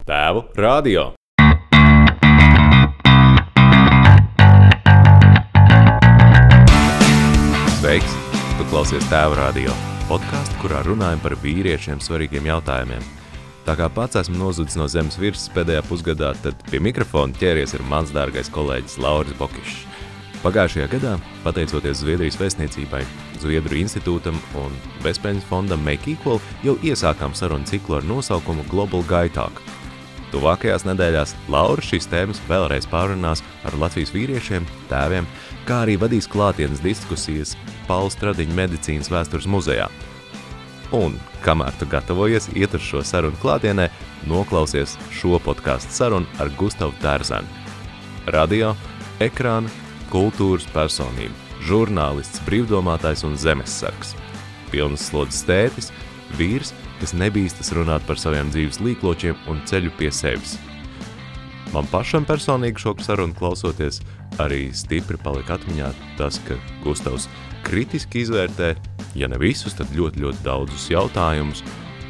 Tēvu radio. Sveiks! Tu klausies Tēvu radio, podcastu, kurā runājam par vīriešiem svarīgiem jautājumiem. Tā kā pats esmu nozudis no zemes virsmas pēdējā pusgadā, tad pie mikrofona ķēries ir mans dārgais kolēģis Lauris Bokišs. Pagājušajā gadā, pateicoties Zviedrijas vēstniecībai, Zviedru institūtam un bezpēļņas fondam Make Equal, jau iesākām sarunu ciklu ar nosaukumu Global Guy Talk. Tuvākajās nedēļās Laura šīs tēmas vēlreiz pārunās ar Latvijas vīriešiem, tēviem, kā arī vadīs klātienes diskusijas Paula Stradiņa medicīnas vēstures muzejā. Un, kamēr tu gatavojies iet uz šo sarunu klātienē, noklausies šo podcastu sarunu ar Gustavu Terzenu. Radio, ekrāna, kultūras personība, žurnālists, brīvdomātājs un zemessargs. Pilnas slodzes tētis, vīrs, kas nebīstas runāt par saviem dzīves līkločiem un ceļu pie sevis. Man pašam personīgi šo sarunu klausoties arī stipri palika atmiņā tas, ka Gustavs kritiski izvērtē, ja ne visus, tad ļoti daudzus jautājumus,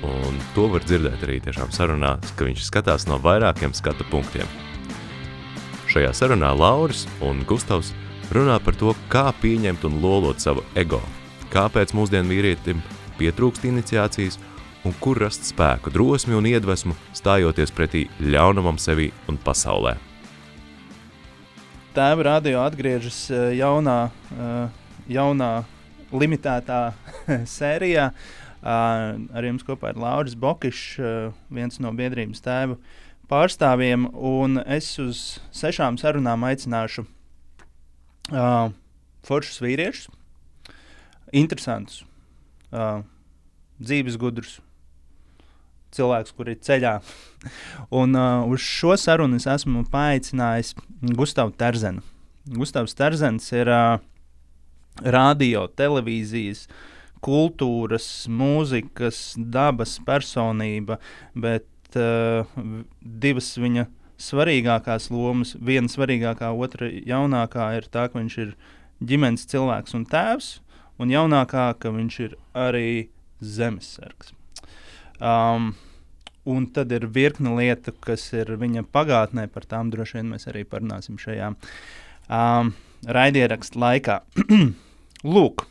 un to var dzirdēt arī tiešām sarunās, ka viņš skatās no vairākiem skatu punktiem. Šajā sarunā Lauris un Gustavs runā par to, kā pieņemt un lolot savu ego, kāpēc mūsdienu vīrietim pietrūkst iniciācijas un kur rast spēku, drosmi un iedvesmu, stājoties pretī ļaunumam sevī un pasaulē. Tēva radio atgriežas jaunā limitētā sērijā. Ar jums kopā ir Lauris Bokišs, viens no biedrības tēvu pārstāvjiem, un es uz 6 sarunām aicināšu foršus vīriešus, interesantus, dzīves gudrus, cilvēks, kur ir ceļā. Un uz šo sarunu es esmu paaicinājis Gustavu Terzenu. Gustavs Terzens ir radio, televīzijas, kultūras, mūzikas, dabas personība, bet divas viņa svarīgākās lomas, viena svarīgākā, otra jaunākā ir tā, ka viņš ir ģimenes cilvēks un tēvs, un jaunākā, ka viņš ir arī zemessargs. Un tad ir virkne lietu, kas ir viņa pagātnē, par tām droši vien mēs arī parunāsim šajā raidierakstu laikā. Lūk,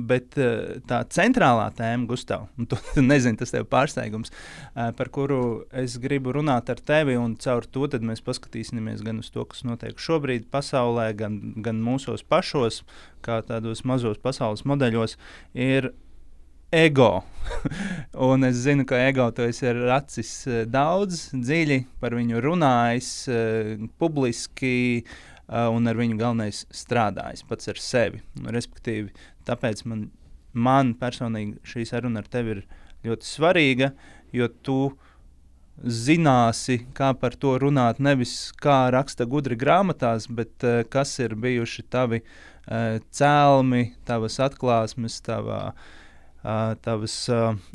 bet tā centrālā tēma, Gustav, un tu nezini, tas tev pārsteigums, par kuru es gribu runāt ar tevi, un caur to tad mēs paskatīsimies gan uz to, kas notiek šobrīd pasaulē, gan mūsos pašos, kā tādos mazos pasaules modeļos, ir ego. Un es zinu, ka ego tu esi racis daudz, dziļi par viņu runājis, publiski, un ar viņu galvenais strādājis pats ar sevi. Un, respektīvi, tāpēc man personīgi šī saruna ar tevi ir ļoti svarīga, jo tu zināsi, kā par to runāt, nevis kā raksta gudri grāmatās, bet kas ir bijuši tavi cēlmi, tavas atklāsmes, tavas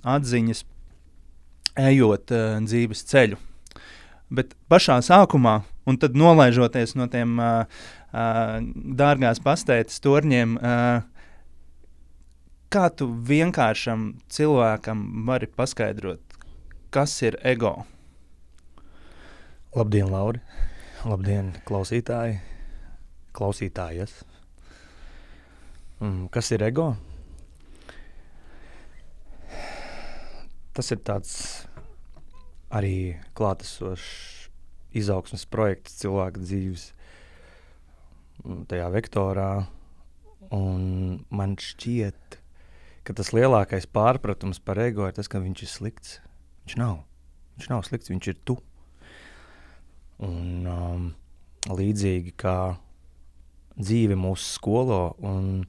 atziņas, ejot dzīves ceļu. Bet pašā sākumā, un tad nolaižoties no tiem dārgās pastētas torņiem, kā tu vienkāršam cilvēkam vari paskaidrot, kas ir ego? Labdien, Lauri! Labdien, klausītāji! Klausītājas! Kas ir ego? Tas ir tāds arī klātesošs izaugsmes projekts cilvēka dzīves tajā vektorā, un man šķiet, ka tas lielākais pārpratums par ego ir tas, ka viņš ir slikts. Viņš nav slikts, viņš ir tu. Un līdzīgi kā dzīve mūs skolo, un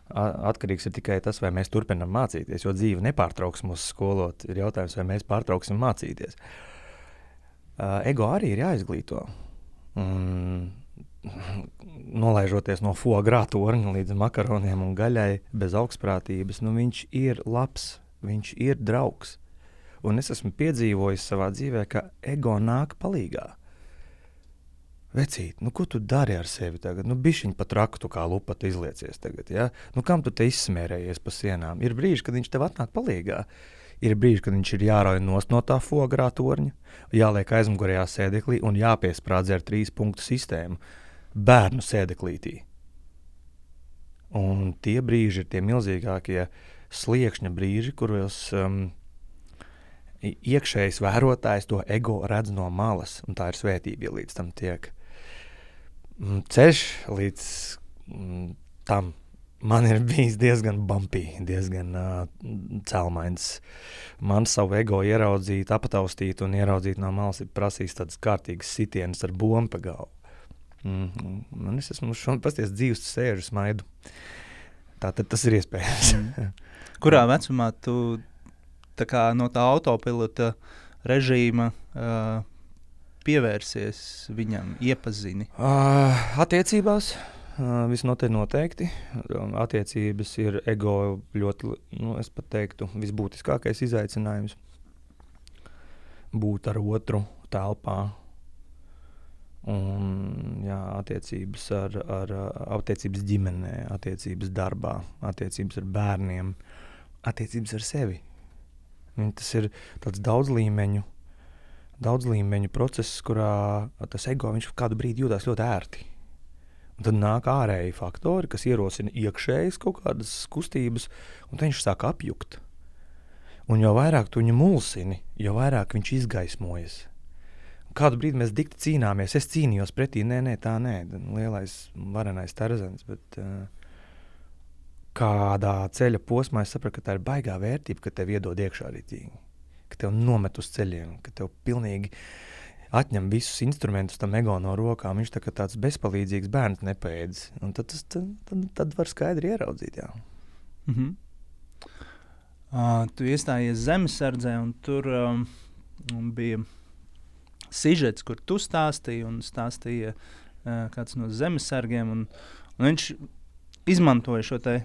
atkarīgs ir tikai tas, vai mēs turpinam mācīties, jo dzīve nepārtrauks mūs skolot. Ir jautājums, vai mēs pārtrauksim mācīties. Ego arī ir jāizglīto. Nolaižoties no foie gras torņa līdz makaroniem un gaļai bez augstprātības, viņš ir labs, viņš ir draugs. Un es esmu piedzīvojis savā dzīvē, ka ego nāk palīgā. Vecīt, ko tu dari ar sevi tagad? Bišķiņ pa traku tu kā lupat izliecies tagad, ja? Kam tu te izsmērējies pa sienām? Ir brīži, kad viņš tev atnāk palīgā. Ir brīži, kad viņš ir jārauj nost no tā fogrā torņa, jāliek aizmugurējā sēdeklī un jāpiesprādz ar 3 punktu sistēmu bērnu sēdeklītī. Un tie brīži ir tie milzīgākie sliekšņa brīži, kuros iekšējs vērotājs to ego redz no malas, un tā ir svētība, ja līdz tam tiek. Ceļš līdz tam man ir bijis diezgan bumpy, diezgan celmains. Man savu ego ieraudzīt, apataustīt un ieraudzīt no malas ir prasījis tādas kārtīgas sitienas ar bombu pa galvu. Un es esmu pasties dzīves sēžu smaidu. Tātad tas ir iespējams. Kurā vecumā tu tā kā no tā autopilota režīma pievērsies viņam, iepazini? Attiecībās visnotaļ noteikti. Attiecības ir ego ļoti, es pat teiktu, visbūtiskākais izaicinājums. Būt ar otru telpā. Un, jā, attiecības attiecības ģimenē, attiecības darbā, attiecības ar bērniem, attiecības ar sevi. Tas ir tāds daudzlīmeņu process, kurā tas ego viņš kādu brīdi jūtās ļoti ērti. Un tad nāk ārēji faktori, kas ierosina iekšējas kaut kādas kustības, un tad viņš sāk apjukt. Un jo vairāk tu viņu mulsini, jo vairāk viņš izgaismojas. Kādu brīdi mēs dikti cīnāmies. Es cīnījos pretī, tā nē, lielais varenais Tarzans, bet kādā ceļa posmā es sapratu, ka tā ir baigā vērtība, ka tev iedod iekšā ritīgi, ka tev nomet uz ceļiem, ka tev pilnīgi atņem visus instrumentus tam ego no rokām. Viņš tā kā tāds bezpalīdzīgs bērns nepaēdis. Un tad var skaidri ieraudzīt, jā. Tu iestājies Zemesardzē, un tur bija sižets, kur tu stāstīji, un stāstīja kāds no zemesargiem, un viņš izmantoja šo te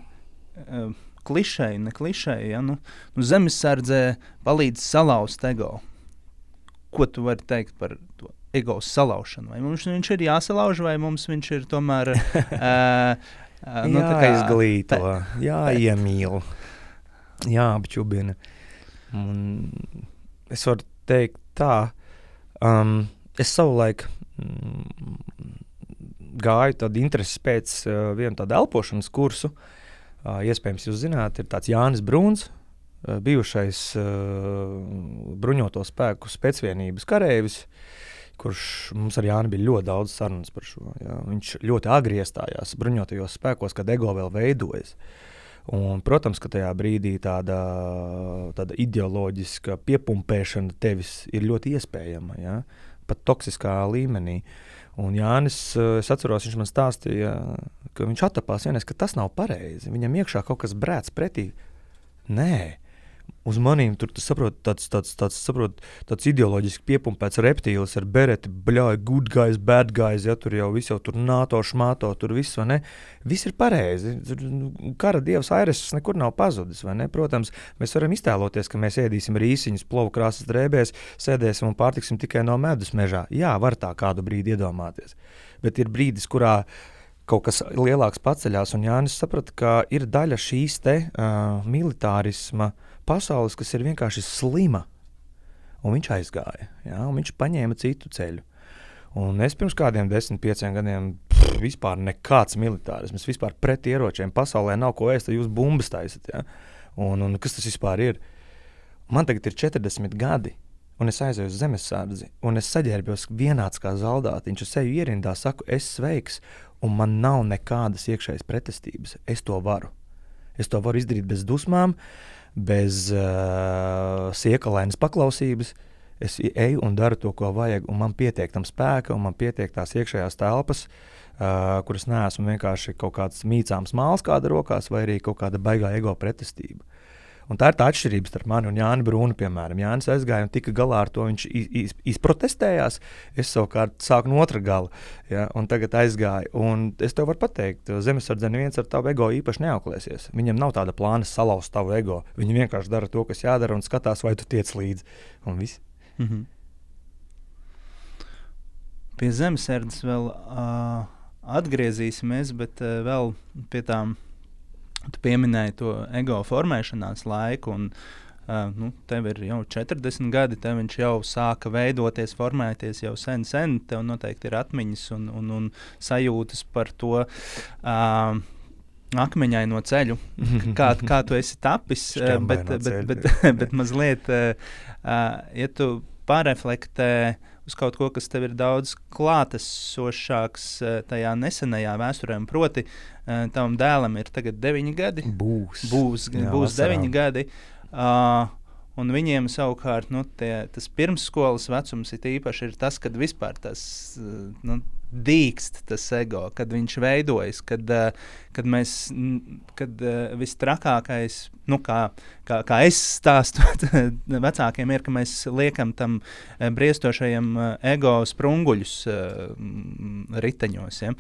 klišeju, ne klišeju, ja? Nu, zemesardzē palīdz salauzt ego. Ko tu vari teikt par to ego salaušanu? Vai mums viņš ir jāsalauž, vai mums viņš ir tomēr jāizglīto, jāiemīl, jāapčubina. Es varu teikt tā, es savulaik gāju tādu interesi pēc vienu tādu elpošanas kursu. Iespējams, jūs zināt, ir tāds Jānis Brūns, bijušais bruņoto spēku specvienības kareivis, kurš mums ar Jāni bija ļoti daudz sarunas par šo. Jā. Viņš ļoti agri iestājās bruņotajos spēkos, kad ego vēl veidojas. Un, protams, ka tajā brīdī tāda ideoloģiska piepumpēšana tevis ir ļoti iespējama, ja? Pat toksiskā līmenī. Un Jānis, es atceros, viņš man stāstīja, ka viņš attapās vienreiz, ka tas nav pareizi. Viņam iekšā kaut kas brēc pretī. Nē. Uz manīm tur saprot, tāds ideoloģiski piepumpēts reptīlis ar bereti, good guys, bad guys, ja tur jau viss jau tur NATO, šmāto, tur viss, vai ne? Viss ir pareizi. Kara dievs Aireses nekur nav pazudis, vai ne? Protams, mēs varam iztēloties, ka mēs ēdīsim rīsiņus, plovu krāsas drēbēs, sēdēsim un pārtiksim tikai no medus mežā. Jā, var tā kādu brīdi iedomāties. Bet ir brīdis, kurā kaut kas lielāks paceļās, un Jānis saprata, ka ir daļa šīs te militārisma pasaules, kas ir vienkārši slima, un viņš aizgāja, jā, un viņš paņēma citu ceļu. Un es pirms kādiem 10-15 gadiem vispār nekāds militārisms, vispār pret ieročiem, pasaulē nav ko ēst, jūs bumbas taisat, jā. Un kas tas vispār ir? Man tagad ir 40 gadi, un es aizēju uz Zemesardzi, un es saģērbjos vienāds kā zaldātiņš, es seju ierindā, saku, es sveiks, un man nav nekādas iekšējas pretestības. Es to varu izdarīt bez dusmām, bez siekalainas paklausības. Es eju un daru to, ko vajag, un man pietiek tam spēka, un man pietiek tās iekšējās telpas, kuras neesmu vienkārši kaut kāds mīcāms māls kāda rokās, vai arī kaut kāda baigā ego pretestība. Un tā ir tā atšķirība starp mani un Jāni Brūnu, piemēram. Jānis aizgāja un tika galā ar to, viņš izprotestējās, es savukārt sāku no otra gala, ja, un tagad aizgāju. Un es tev varu pateikt, Zemesardze neviens ar tavu ego īpaši neauklēsies. Viņam nav tāda plāna salauzt tavu ego. Viņi vienkārši dara to, kas jādara, un skatās, vai tu tiec līdzi. Un viss. Pie Zemesardzes vēl atgriezīsimies, bet vēl pie tām. Tu pieminēji to ego formēšanās laiku, un tev ir jau 40 gadi, tev viņš jau sāka veidoties, formēties jau sen, tev noteikti ir atmiņas un sajūtas par to akmeņaino ceļu, kā tu esi tapis, bet mazliet, ja tu pāreflektē uz kaut ko, kas tev ir daudz klātesošāks tajā nesenajā vēsturē, proti tavam dēlam ir tagad 9 gadi. Būs 9 gadi. Un viņiem savukārt tas pirmsskolas vecums ir īpaši ir tas, kad vispār tas dīkst tas ego, kad viņš veidojas, kad vistrakākais, kā es stāstu vecākiem, ir, ka mēs liekam tam briestošajam ego sprunguļus riteņos. Ja?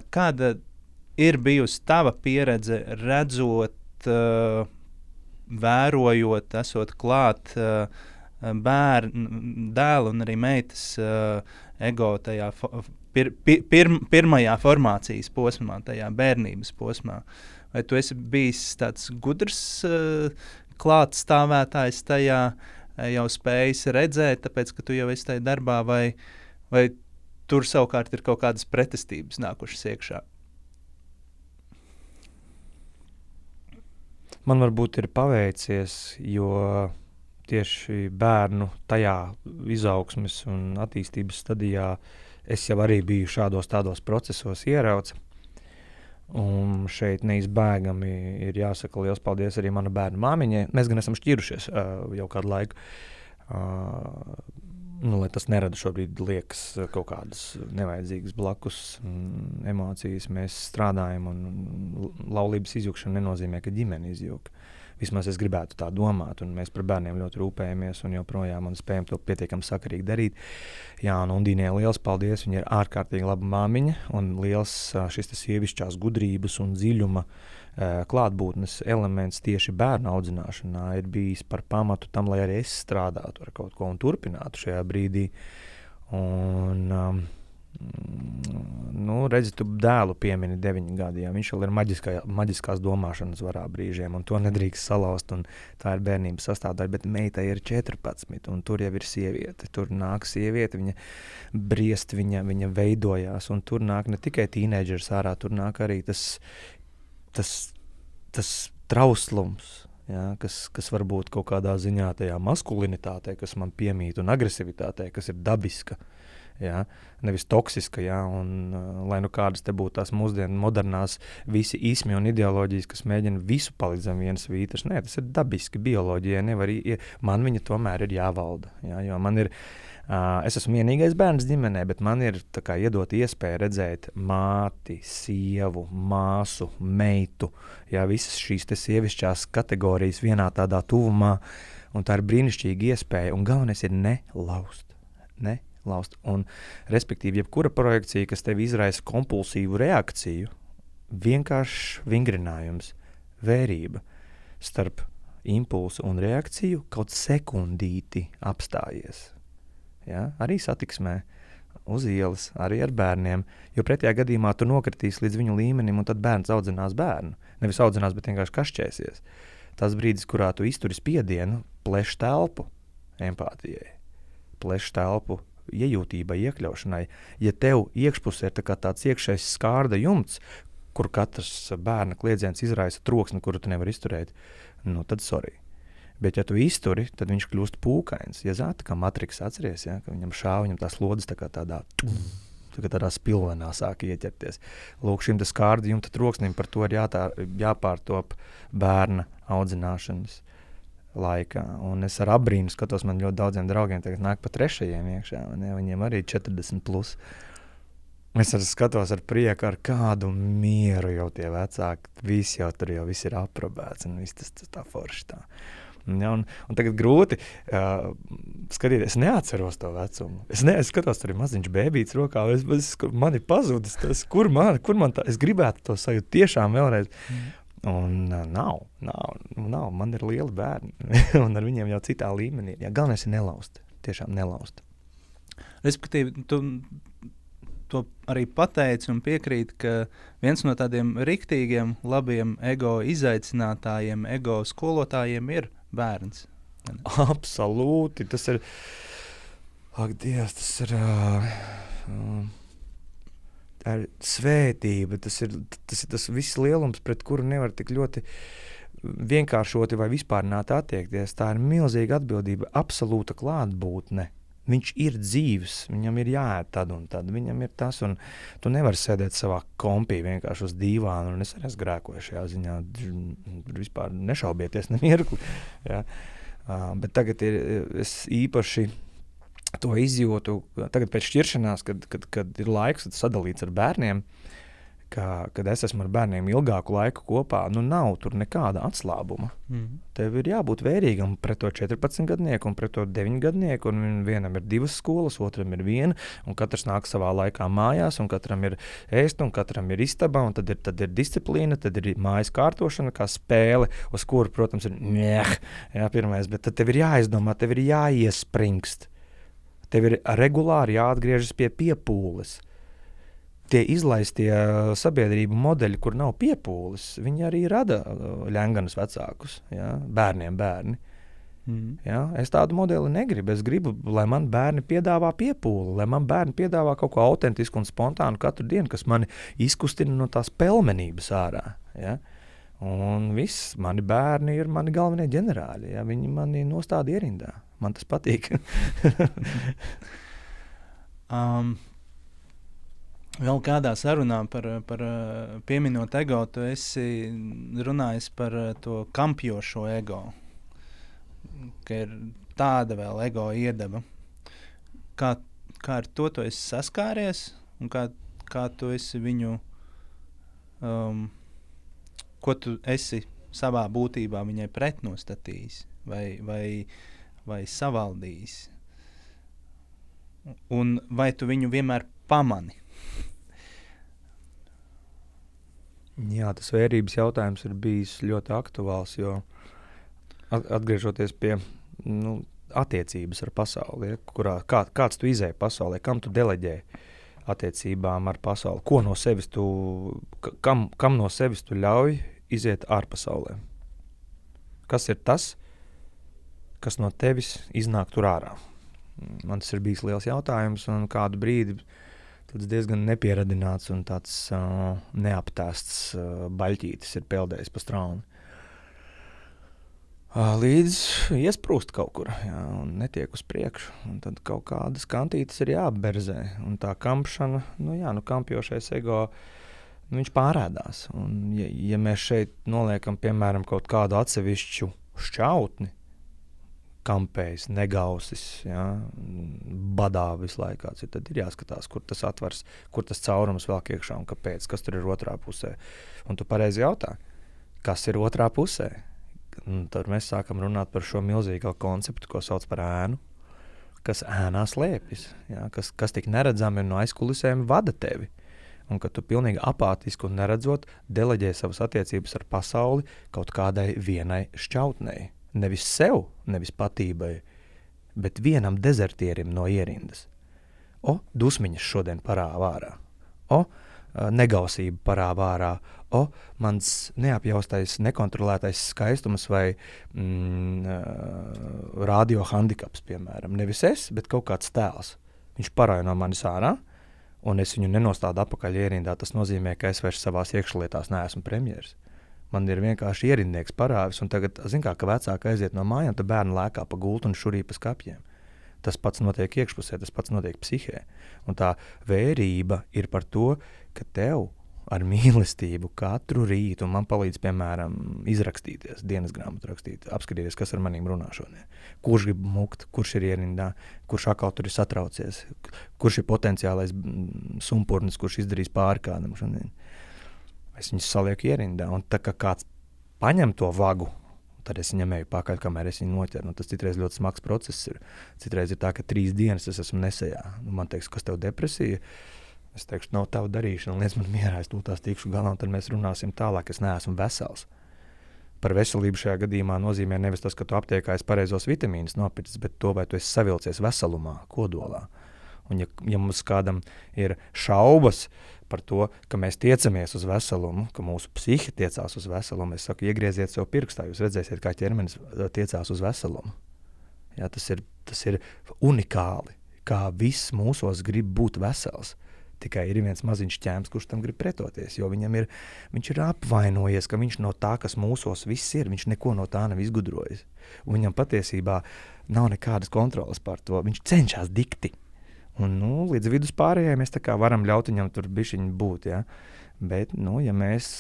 Kāda ir bijusi tava pieredze redzot, vērojot, esot klāt dēlu un arī meitas ego tajā pirmajā formācijas posmā, tajā bērnības posmā. Vai tu esi bijis tāds gudrs klātstāvētājs tajā, jau spējis redzēt, tāpēc, ka tu jau esi tajā darbā, vai tur savukārt ir kaut kādas pretestības nākušas iekšā? Man varbūt ir paveicies, jo tieši bērnu tajā izaugsmes un attīstības stadijā es jau arī biju tādos procesos ierauts. Un šeit neizbēgami ir jāsaka liels paldies arī mana bērnu māmiņai. Mēs gan esam šķirušies jau kādu laiku. Lai tas nerada šobrīd liekas kaut kādas nevajadzīgas blakus emocijas. Mēs strādājam un laulības izjukšana nenozīmē, ka ģimene izjuk. Vismaz es gribētu tā domāt, un mēs par bērniem ļoti rūpējamies un joprojām un spējam to pietiekami sakarīgi darīt. Jā, un Undīnē liels paldies, viņa ir ārkārtīgi laba māmiņa un liels šis sievišķās gudrības un dziļuma klātbūtnes elements tieši bērnu audzināšanā ir bijis par pamatu tam, lai arī es strādātu ar kaut ko un turpinātu šajā brīdī. Un, redzi, tu dēlu piemini 9 gadi, jā, viņš vēl ir maģiskās domāšanas varā brīžiem, un to nedrīkst salauzt, un tā ir bērnības sastāvdaļa, bet meitai ir 14, un tur jau ir sieviete, tur nāk sieviete, viņa briest, viņa veidojās, un tur nāk ne tikai tīneidžers ārā, tur nāk arī tas trauslums, jā, kas varbūt kaut kādā ziņā tajā maskulinitātei, kas man piemīt, un agresivitātei, kas ir dabiska, jā, nevis toksiska, jā, un lai kādas te būtu tās mūsdienu modernās visi ismi un ideoloģijas, kas mēģina visu palikt zem vienas vītras. Nē, tas ir dabiski, bioloģija nevar, man viņa tomēr ir jāvalda, jā, jo man ir, es esmu vienīgais bērns ģimenē, bet man ir tā kā iedot iespēju redzēt māti, sievu, māsu, meitu, jā, visas šīs te sievišķās kategorijas vienā tādā tuvumā, un tā ir brīnišķīga iespēja, un galvenais ir nelaust. Un, respektīvi, jebkura projekcija, kas tev izraisa kompulsīvu reakciju, vienkāršs vingrinājums, vērība starp impulsu un reakciju kaut sekundīti apstājies. Ja? Arī satiksmē, uz ielas, arī ar bērniem, jo pretējā gadījumā tu nokritīs līdz viņu līmenim, un tad bērns audzinās bērnu. Nevis audzinās, bet vienkārši kašķēsies. Tas brīdis, kurā tu izturi spiedienu, pleš telpu empātijai, pleš telpu iejūtībai, iekļaušanai. Ja tev iekšpusē ir tāds iekšējs skārda jumts, kur katrs bērna kliedziens izraisa troksni, kuru tu nevar izturēt, tad sorry. Bet ja tu izturi, tad viņš kļūst pūkains. Ja zāta, kā Matriks atceries, ja, ka viņam šāva, viņam tās lodes tādā spilvenā sāk ieķerties. Lūk, šim skārda jumta troksnim par to ir jāpārtop bērna audzināšanas laikā. Un es ar abrīnu skatos, man ļoti daudziem draugiem tagad nāk pa 3. iekšā, ja, viņiem arī 40+. Es arī skatos ar prieku, ar kādu mieru jau tie vecāki, viss ir aprobēts, un viss tas tā forši tā. Ja, un tagad grūti skatīties, es neatceros to vecumu. Es skatos, tur ir maziņš bēbīts rokā, man ir pazudis tas, kur man tā, es gribētu to sajūt tiešām vēlreiz. Un nav, man ir lieli bērni, un ar viņiem jau citā līmenī. Jā, galvenais ir nelaust, tiešām nelaust. Respektīvi, tu to arī pateici un piekrīt, ka viens no tādiem riktīgiem, labiem ego izaicinātājiem, ego skolotājiem ir bērns. Absolūti. Tas ir, ak, Dievs, tā ir svētība. Tas ir tas viss lielums, pret kuru nevar tik ļoti vienkāršoti vai vispārināt attiekties. Tā ir milzīga atbildība, absolūta klātbūtne. Viņš ir dzīvs, viņam ir jāēd tad un tad, viņam ir tas, un tu nevari sēdēt savā kompī vienkārši uz dīvānu, un es arī esmu grēkoju šajā ziņā, vispār nešaubieties nemirkli. Ja. Bet tagad es īpaši to izjūtu, tagad pēc šķiršanās, kad ir laiks sadalīts ar bērniem, kad es esmu ar bērniem ilgāku laiku kopā, nav tur nekāda atslābuma. Tev ir jābūt vērīgam pret to 14-gadnieku un pret to 9-gadnieku, un vienam ir 2 skolas, otram ir 1, un katrs nāk savā laikā mājās, un katram ir ēst, un katram ir istaba, un tad ir disciplīna, tad ir mājas kārtošana, kā spēle, uz kuru, protams, ir pirmais, bet tad tev ir jāizdomā, tev ir jāiespringst. Tev ir regulāri jāatgriežas pie piepūles. Tie izlaistie sabiedrību modeļi, kur nav piepūles, viņi arī rada ļenganus vecākus, ja? Bērniem bērni. Ja? Es tādu modeli negribu. Es gribu, lai man bērni piedāvā piepūli, lai man bērni piedāvā kaut ko autentisku un spontānu katru dienu, kas mani izkustina no tās pelmenības ārā. Ja? Un viss, mani bērni ir mani galvenie ģenerāļi. Ja? Viņi mani nostāda ierindā. Man tas patīk. Vēl kādā sarunā par pieminot ego, tu esi runājis par to kampjošo ego, ka ir tāda vēl ego iedaba. Kā ar to tu esi saskāries un kā tu esi viņu, ko tu esi savā būtībā viņai pretnostatījis vai savaldījis? Un vai tu viņu vienmēr pamani? Jā, tas vērības jautājums ir bijis ļoti aktuāls, jo atgriežoties pie attiecības ar pasauli, kurā kāds tu izēji pasaulē, kam tu deleģē attiecībām ar pasauli, ko no sevis kam no sevis tu ļauj iziet ārpasaulē. Kas ir tas, kas no tevis iznāk tur ārā? Man tas ir bijis liels jautājums, un kādu brīdi tāds diezgan nepieradināts un tāds neaptēsts baļķītis ir peldējis pa strauni. Līdz iesprūst kaut kur, jā, un netiek uz priekšu. Un tad kaut kādas kantītes ir jāberzē. Un tā kampšana, kampjošais ego, viņš pārēdās. Un ja mēs šeit noliekam, piemēram, kaut kādu atsevišķu šķautni, kampējs, negausis, ja, badā visu laikā, tad ir jāskatās, kur tas atvars, kur tas caurums velk iekšā un kāpēc, kas tur ir otrā pusē. Un tu pareizi jautā, kas ir otrā pusē? Un tad mēs sākam runāt par šo milzīgo konceptu, ko sauc par ēnu, kas ēnā slēpjas, ja, kas tik neredzami no aizkulisēm vada tevi. Un ka tu pilnīgi apātiski un neredzot deleģē savas attiecības ar pasauli kaut kādai vienai šķautnei. Nevis sev, nevis patībai, bet vienam dezertierim no ierindas. Dusmiņas šodien parāv ārā. Negausība parāv ārā. Mans neapjaustais, nekontrolētais skaistums vai radio handikaps, piemēram. Nevis es, bet kaut kāds tēls. Viņš parāja no manis ārā, un es viņu nenostādu apakaļ ierindā. Tas nozīmē, ka es vairs savās iekšlietās neesmu premjeras. Man ir vienkārši ierindnieks parāvis, un tagad, ka vecāki aiziet no mājām, tad bērni lēkā pa gultu un šurī pa skapjiem. Tas pats notiek iekšpusē, tas pats notiek psihē. Un tā vērība ir par to, ka tev ar mīlestību katru rītu, un man palīdz, piemēram, izrakstīties, dienas grāmatu rakstīt, apskatīties, kas ar manīm runā šodien. Kurš grib mukt, kurš ir ierindā, kurš atkal tur ir satraucies, kurš ir potenciālais sumpurnis, kurš izdarīs pāri kādam šodien. Es viņus salieku ierindā, un tā kā kāds paņem to vagu, tad es viņam eju pakaļ, kamēr es viņu noķeru. Tas citreiz ļoti smags process ir. Citreiz ir tā, ka 3 dienas es esmu nesejā. Man teiks, kas tev depresija? Es teikšu, nav tava darīšana, liec man mierā, es tūlīt tikšu galā, un tad mēs runāsim tālāk, es neesmu vesels. Par veselību šajā gadījumā nozīmē nevis tas, ka tu aptiekā esi pareizos vitamīnus nopircis, bet to, vai tu esi savilcies veselumā, kodolā. Un ja mums kādam ir šaubas par to, ka mēs tiecamies uz veselumu, ka mūsu psihi tiecās uz veselumu, es saku, iegrieziet sev pirkstā, jūs redzēsiet, kā ķermenis tiecās uz veselumu. Jā, tas ir unikāli, kā viss mūsos grib būt vesels. Tikai ir viens maziņš ķēms, kurš tam grib pretoties, jo viņš ir apvainojies, ka viņš no tā, kas mūsos viss ir, viņš neko no tā nav izgudrojis. Un viņam patiesībā nav nekādas kontrolas par to, viņš cenšas dikti. Un, līdz vidus pārējai mēs tā kā varam ļaut viņam tur bišķiņi būt, ja? Bet, ja mēs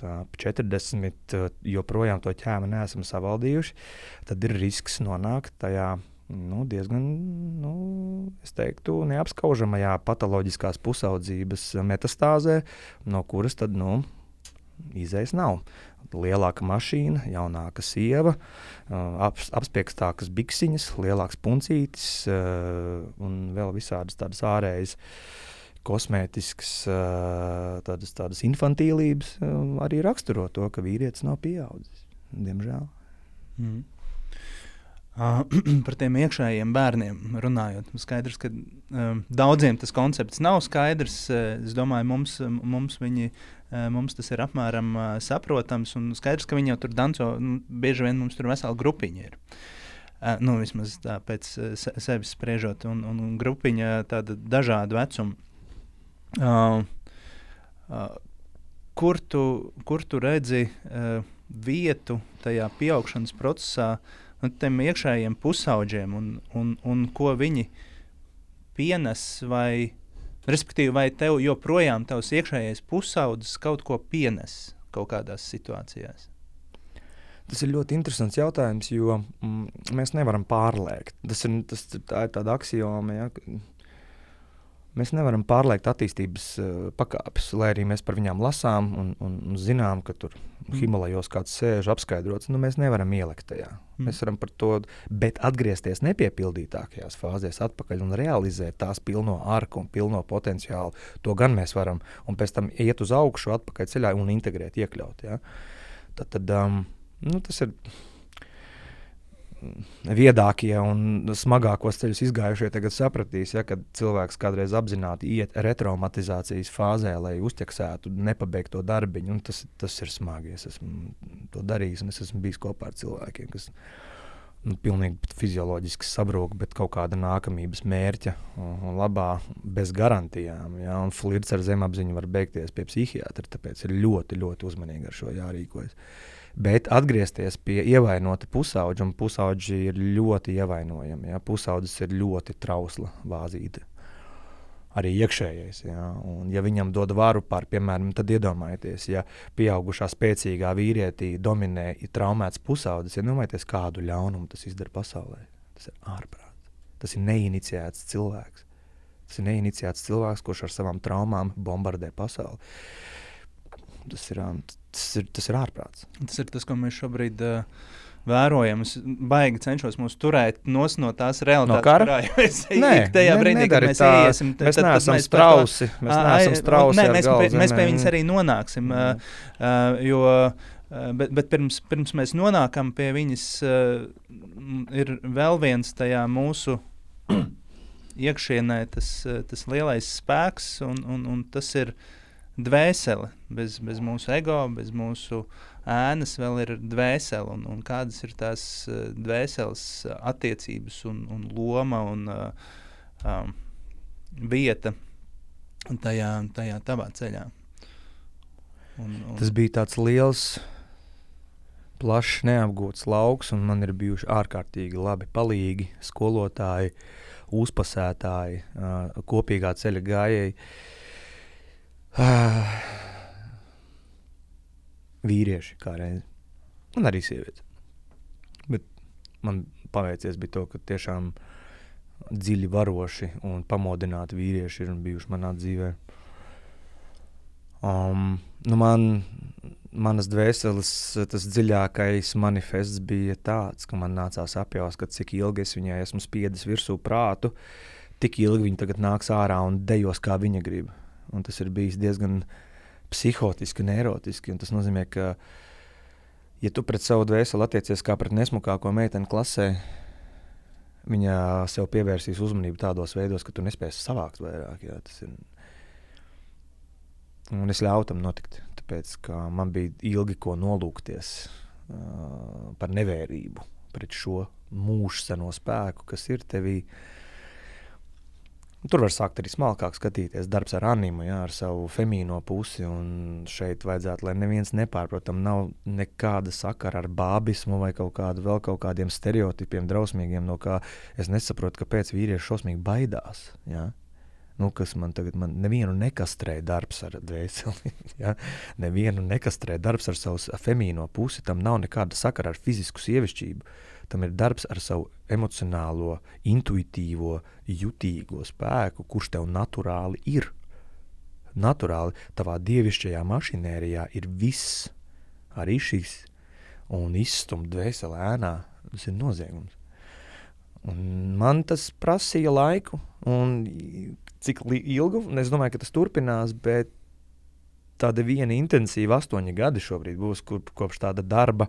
40 joprojām to ķēmu neesam savaldījuši, tad ir risks nonākt tajā diezgan, es teiktu, neapskaužamajā patoloģiskās pusaudzības metastāzē, no kuras tad, izējas nav. Lielāka mašīna, jaunāka sieva, apspiekstākas biksiņas, lielāks puncītis un vēl visādas tādas ārējas kosmētiskas tādas infantīlības arī raksturo to, ka vīrietis nav pieaudzis. Diemžēl. Par tiem iekšējiem bērniem runājot, skaidrs, ka daudziem tas koncepts nav skaidrs. Es domāju, mums tas ir apmēram saprotams un skaidrs, ka viņi jau tur danco, bieži vien mums tur vesela grupiņa ir. Vismaz tā pēc sevis spriežot, un grupiņa tāda dažādu vecumu. Kur tu redzi vietu tajā pieaugšanas procesā tiem iekšējiem pusauģiem un ko viņi pienes vai, respektīvi, vai tev joprojām tavs iekšējais pusaudzis kaut ko pienes kaut kādās situācijās? Tas ir ļoti interesants jautājums, jo mēs nevaram pārliekt. Tā ir tāda aksioma, ja? Mēs nevaram pārliekt attīstības pakāpes, lai arī mēs par viņām lasām un zinām, ka tur Himalajos kāds sēž apskaidrots, mēs nevaram ielikt tajā. Mēs varam par to, bet atgriezties nepiepildītākajās fāzēs atpakaļ un realizēt tās pilno arku un pilno potenciālu. To gan mēs varam, un pēc tam iet uz augšu, atpakaļ ceļā un integrēt, iekļaut. Ja? Tad tas ir viedākie un smagākos ceļus izgājušie tagad sapratīs, ja, kad cilvēks kādreiz apzināti iet retraumatizācijas fāzē, lai uzķeksētu nepabeigto darbiņu, un tas ir smagi. Es esmu to darījis, un es esmu bijis kopā ar cilvēkiem, kas pilnīgi fizioloģiski sabrūk, bet kaut kāda nākamības mērķa un labā bez garantijām, ja, un flirts ar zemapziņu var beigties pie psihiatra, tāpēc ir ļoti, ļoti uzmanīgi ar šo jārīkojas. Bet atgriezties pie ievainota pusauģa, un pusauģi ir ļoti ievainojami. Ja? Pusaudzis ir ļoti trausla vāzīte. Arī iekšējais. Ja? Un ja viņam dod varu pār, piemēram, tad iedomājieties, ja pieaugušā spēcīgā vīrietī dominē traumēts pusaudzis, ja domājieties, kādu ļaunumu tas izdara pasaulē. Tas ir ārprāts. Tas ir neiniciēts cilvēks. Tas ir neiniciēts cilvēks, kurš ar savām traumām bombardē pasauli. Tas ir ārprāts. Tas ir tas, ko mēs šobrīd vērojam. Es baigi cenšos mūs turēt no tās realitātes, kurā mēs tajā brīdī, kad mēs iesim. Mēs neesam strausi. Mēs pie viņas arī nonāksim. Bet pirms mēs nonākam pie viņas, ir vēl viens tajā mūsu iekšienē tas lielais spēks, un tas ir dvēsele. Bez mūsu ego, bez mūsu ēnas vēl ir dvēsele, un kādas ir tās dvēseles attiecības un loma un vieta tajā tavā ceļā. Tas bija tāds liels, plašs, neapgūts lauks, un man ir bijuši ārkārtīgi labi palīgi, skolotāji, uzpasētāji, kopīgā ceļa gājēji. Vīrieši kā reizi. Un arī sievietes. Bet man paveicies bija to, ka tiešām dziļi varoši un pamodināti vīrieši ir bijuši manā dzīvē. Manas dvēseles tas dziļākais manifests bija tāds, ka man nācās apjaust, ka cik ilgi es viņai esmu spiedis virsū prātu, tik ilgi viņa tagad nāks ārā un dejos, kā viņa grib. Un tas ir bijis diezgan psihotiski un erotiski. Un tas nozīmē, ka, ja tu pret savu dvēseli attiecies kā pret nesmukāko meiteni klasē, Viņa sev pievērsīs uzmanību tādos veidos, ka tu nespēsi savākt vairāk. Jā, tas ir. Un es ļauju tam notikt, tāpēc, ka man bija ilgi ko nolūkties par nevērību pret šo mūžseno spēku, kas ir tevī. Tur var sākt arī smalkāk skatīties darbs ar animu, jā, ar savu femīno pusi, un šeit vajadzētu, lai neviens nepārprotam, nav nekāda sakara ar bābismu vai kaut kādiem stereotipiem drausmīgiem, no kā es nesaprotu, kāpēc vīrieši šausmīgi baidās, jā. Kas man nevienu nekastrē darbs ar dvēseli, ja? Nevienu nekastrē darbs ar savu femīno pusi, tam nav nekāda sakara ar fizisku sievišķību, tam ir darbs ar savu emocionālo, intuitīvo, jutīgo spēku, kurš tev naturāli ir. Naturāli tavā dievišķajā mašinērijā ir viss, arī šis, un izstumt dvēseli ēnā, tas ir noziegums. Un man tas prasīja laiku, un cik ilgu, es domāju, ka tas turpinās, bet tāda viena intensīva 8 gadi šobrīd būs kopš tāda darba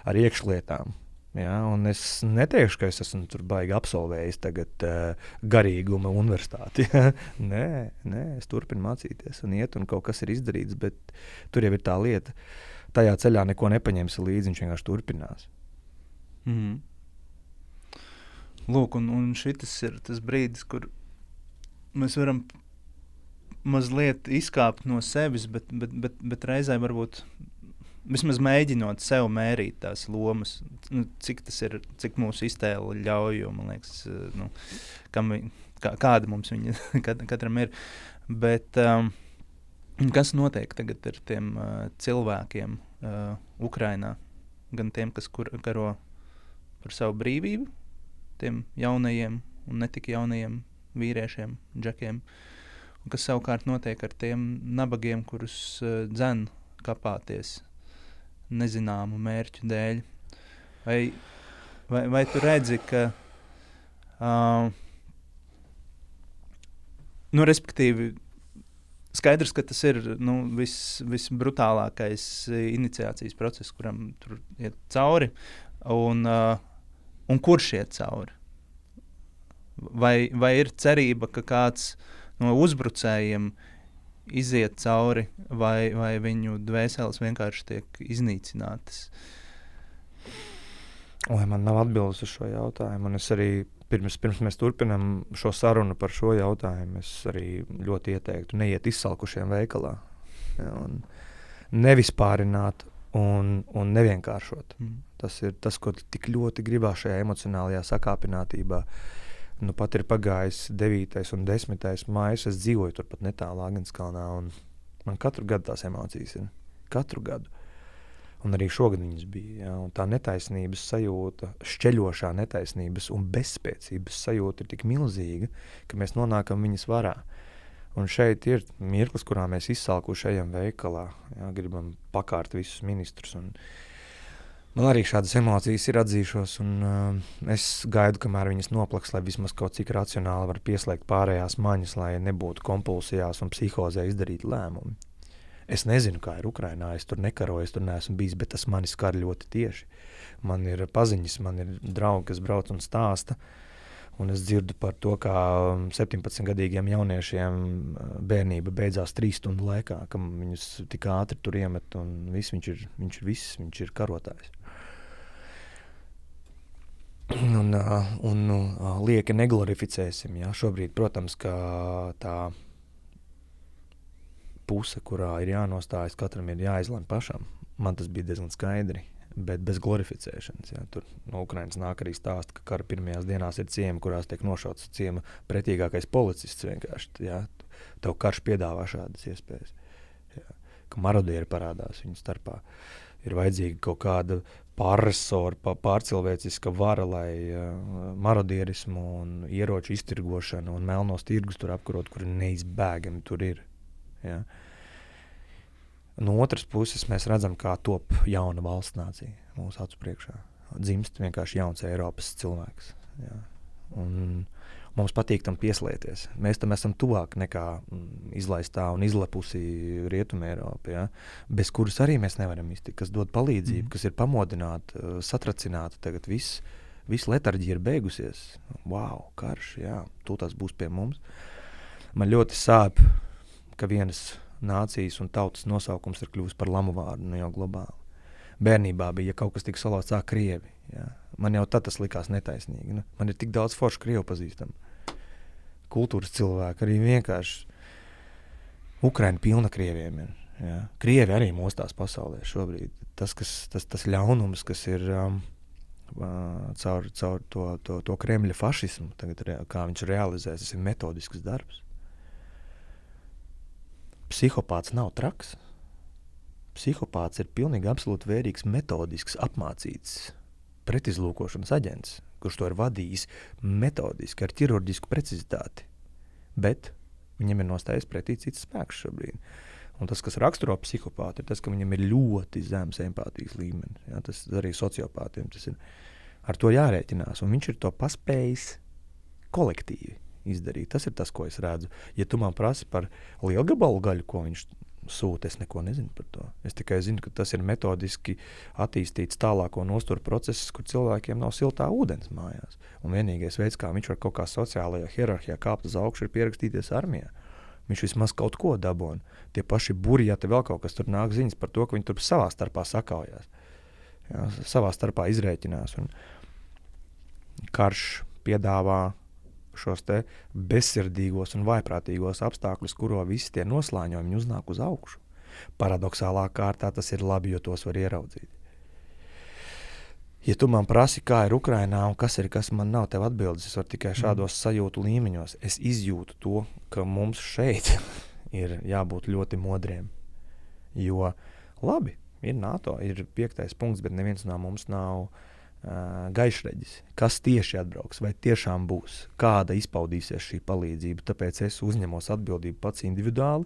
ar iekšlietām. Ja? Un es neteikšu, ka es esmu tur baigi absolvējis tagad garīguma universitāti. Ja? Nē, es turpinu mācīties un iet, un kaut kas ir izdarīts, bet tur jau ir tā lieta. Tajā ceļā neko nepaņemsi līdzi, viņš vienkārši turpinās. Mhm. Lūk, un šitas ir tas brīdis, kur mēs varam mazliet izkāpt no sevis, bet reizē varbūt vismaz mēģinot sev mērīt tās lomas, cik mūsu iztēle ļauj, jo, man liekas, kāda mums viņa katram ir. Bet kas notiek tagad ar tiem cilvēkiem Ukrainā, gan tiem, kas karo par savu brīvību, tiem jaunajiem un netik jaunajiem vīriešiem, džekiem, un kas savukārt notiek ar tiem nabagiem, kurus dzen kapāties nezināmu mērķu dēļ. Vai tu redzi, ka respektīvi skaidrs, ka tas ir visbrutālākais iniciācijas process, kuram tur iet cauri, un kurš iet cauri? Vai ir cerība, ka kāds no uzbrucējiem iziet cauri, vai viņu dvēseles vienkārši tiek iznīcinātas? Man nav atbildes uz šo jautājumu, un es arī pirms mēs turpinām šo sarunu par šo jautājumu, es arī ļoti ieteiktu neiet izsalkušiem veikalā, ja, un nevispārināt un nevienkāršot. Tas ir tas, ko tik ļoti gribās šajā emocionālajā sakāpinātībā. Pat ir pagājis 9. un 10. mājas, es dzīvoju turpat netālu Āgenskalnā, un man katru gadu tās emocijas ir. Katru gadu. Un arī šogad viņas bija. Ja? Un tā netaisnības sajūta, šķeļošā netaisnības un bezspēcības sajūta ir tik milzīga, ka mēs nonākam viņas varā. Un šeit ir mirklis, kurā mēs izsalkuši ejam veikalā, ja? Gribam pakārt visus ministrus. Un man arī šādas emocijas ir atzīšos, un es gaidu, kamēr viņas noplaks, lai vismaz kaut cik racionāli var pieslēgt pārējās maņas, lai nebūtu kompulsijās un psihozē izdarīt lēmumi. Es nezinu, kā ir Ukrainā, es tur nekaroju, es tur neesmu bijis, bet tas mani skar ļoti tieši. Man ir paziņas, man ir draugi, kas brauc un stāsta, un es dzirdu par to, kā 17-gadīgiem jauniešiem bērnība beidzās 3 stundu laikā, ka viņus tik ātri tur iemet, un viņš ir karotājs. Un lieki neglorificēsim, ja? Šobrīd, protams, ka tā puse, kurā ir jānostājas, katram ir jāizlem pašam. Man tas bija diezgan skaidri, bet bez glorificēšanas. Ja. Tur no Ukrainas nāk arī stāsta, ka kara pirmajās dienās ir ciemi, kurās tiek nošauts ciema pretīgākais policists vienkārši. Ja. Tev karš piedāvā šādas iespējas. Ja. Ka marodieri parādās viņu starpā. Ir vajadzīga kaut kāda pārresora, pārcilvēciska vara, lai marodierismu un ieroču iztirgošanu un melnos tirgus tur apkarot, kuri neizbēgami tur ir. Ja. No otras puses mēs redzam, kā top jauna valsts nācija mūsu acu priekšā. Dzimst vienkārši jauns Eiropas cilvēks. Ja. Un mums patīk tam pieslēties. Mēs tam esam tuvāk nekā izlaistā un izlepusī Rietuma Eiropa, ja. Bez kuras arī mēs nevaram iztikt, kas dod palīdzību, kas ir pamodināta, satracināta tagad viss. Visa letarģija ir beigusies. Wow, karš, jā, tūlīt būs pie mums. Man ļoti sāp, ka vienas nācijas un tautas nosaukums ir kļuvis par lamu vārdu, jau globāli. Bērnībā bija, ja kaut kas tika salauts, krievi. Jā. Man jau tad tas likās netaisnīgi. Man ir tik daudz foršu krievu pazīstam. Kultūras cilvēki, arī vienkārši Ukraina pilna krieviem ir. Jā. Krievi arī mostās pasaulē šobrīd. Tas ļaunums, kas ir caur to Kremļa fašismu, tagad, kā viņš realizēs, tas ir metodisks darbs. Psihopāts nav traks. Psihopāts ir pilnīgi absolūti vērīgs, metodisks, apmācīts pretizlūkošanas aģents, kurš to ir vadījis metodiski, ar ķirurģisku precizitāti. Bet viņam ir nostājies pretī cits spēks šobrīd. Un tas, kas raksturo psihopātu, ir tas, ka viņam ir ļoti zems empātijas līmenis. Ja? Tas arī sociopātiem tas ir. Ar to jārēķinās. Un viņš ir to paspējis kolektīvi izdarīt. Tas ir tas, ko es redzu. Ja tu man prasi par lielgabalu gaļu, ko viņš sūta, es neko nezinu par to. Es tikai zinu, ka tas ir metodiski attīstīts tālāko nosturu process, kur cilvēkiem nav siltā ūdens mājās. Un vienīgais veids, kā viņš var kaut kā sociālajā hierarhijā kāpt uz augšu, ir pierakstīties armijā. Viņš vismaz kaut ko dabona. Tie paši buri, ja te vēl kaut kas tur nāk ziņas par to, ka viņi tur savā starpā sakaujās. Jā, savā starpā izrēķinās. Un karš piedāvā šos te bezsirdīgos un vaiprātīgos apstākļus, kuro visi tie noslāņojumi uznāk uz augšu. Paradoxālā kārtā tas ir labi, jo tos var ieraudzīt. Ja tu man prasi, kā ir Ukrainā un kas man nav tev atbildes, es varu tikai šādos sajūtu līmeņos. Es izjūtu to, ka mums šeit ir jābūt ļoti modriem. Jo labi, ir NATO, ir 5. punkts, bet neviens no mums nav gaišreģis, kas tieši atbrauks, vai tiešām būs, kāda izpaudīsies šī palīdzība. Tāpēc es uzņemos atbildību pats individuāli,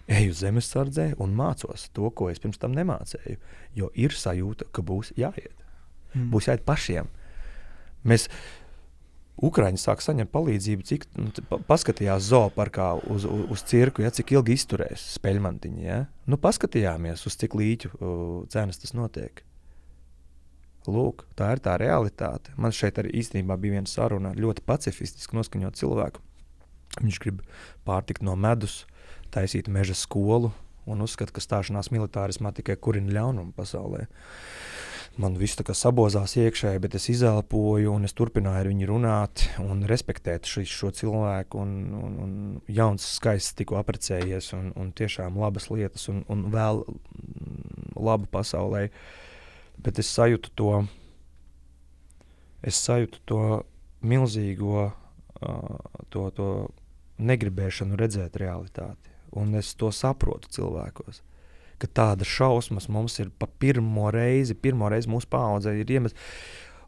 eju zemesardzē un mācos to, ko es pirms tam nemācēju, jo ir sajūta, ka būs jāiet. Būs jāiet pašiem. Ukraiņi sāk saņemt palīdzību, cik paskatījās zooparkā uz cirku, ja, cik ilgi izturēs speļmantiņi. Ja? Paskatījāmies, uz cik līķu cenas tas notiek. Lūk, tā ir tā realitāte. Man šeit arī īstenībā bija viena saruna ļoti pacifistiski noskaņot cilvēku. Viņš grib pārtikt no medus, taisīt meža skolu un uzskata, ka stāšanās militārismā tikai kurina ļaunumu pasaulē. Man viss tā kā sabozās iekšēji, bet es izelpoju un es turpināju ar viņu runāt un respektēt šo cilvēku un jauns skaists tikko aprecējies un tiešām labas lietas un vēl labu pasaulē. Bet es sajūtu to milzīgo to negribēšanu redzēt realitāti. Un es to saprotu cilvēkos, ka tāda šausmas mums ir pa pirmo reizi mūsu paaudzē ir iemest,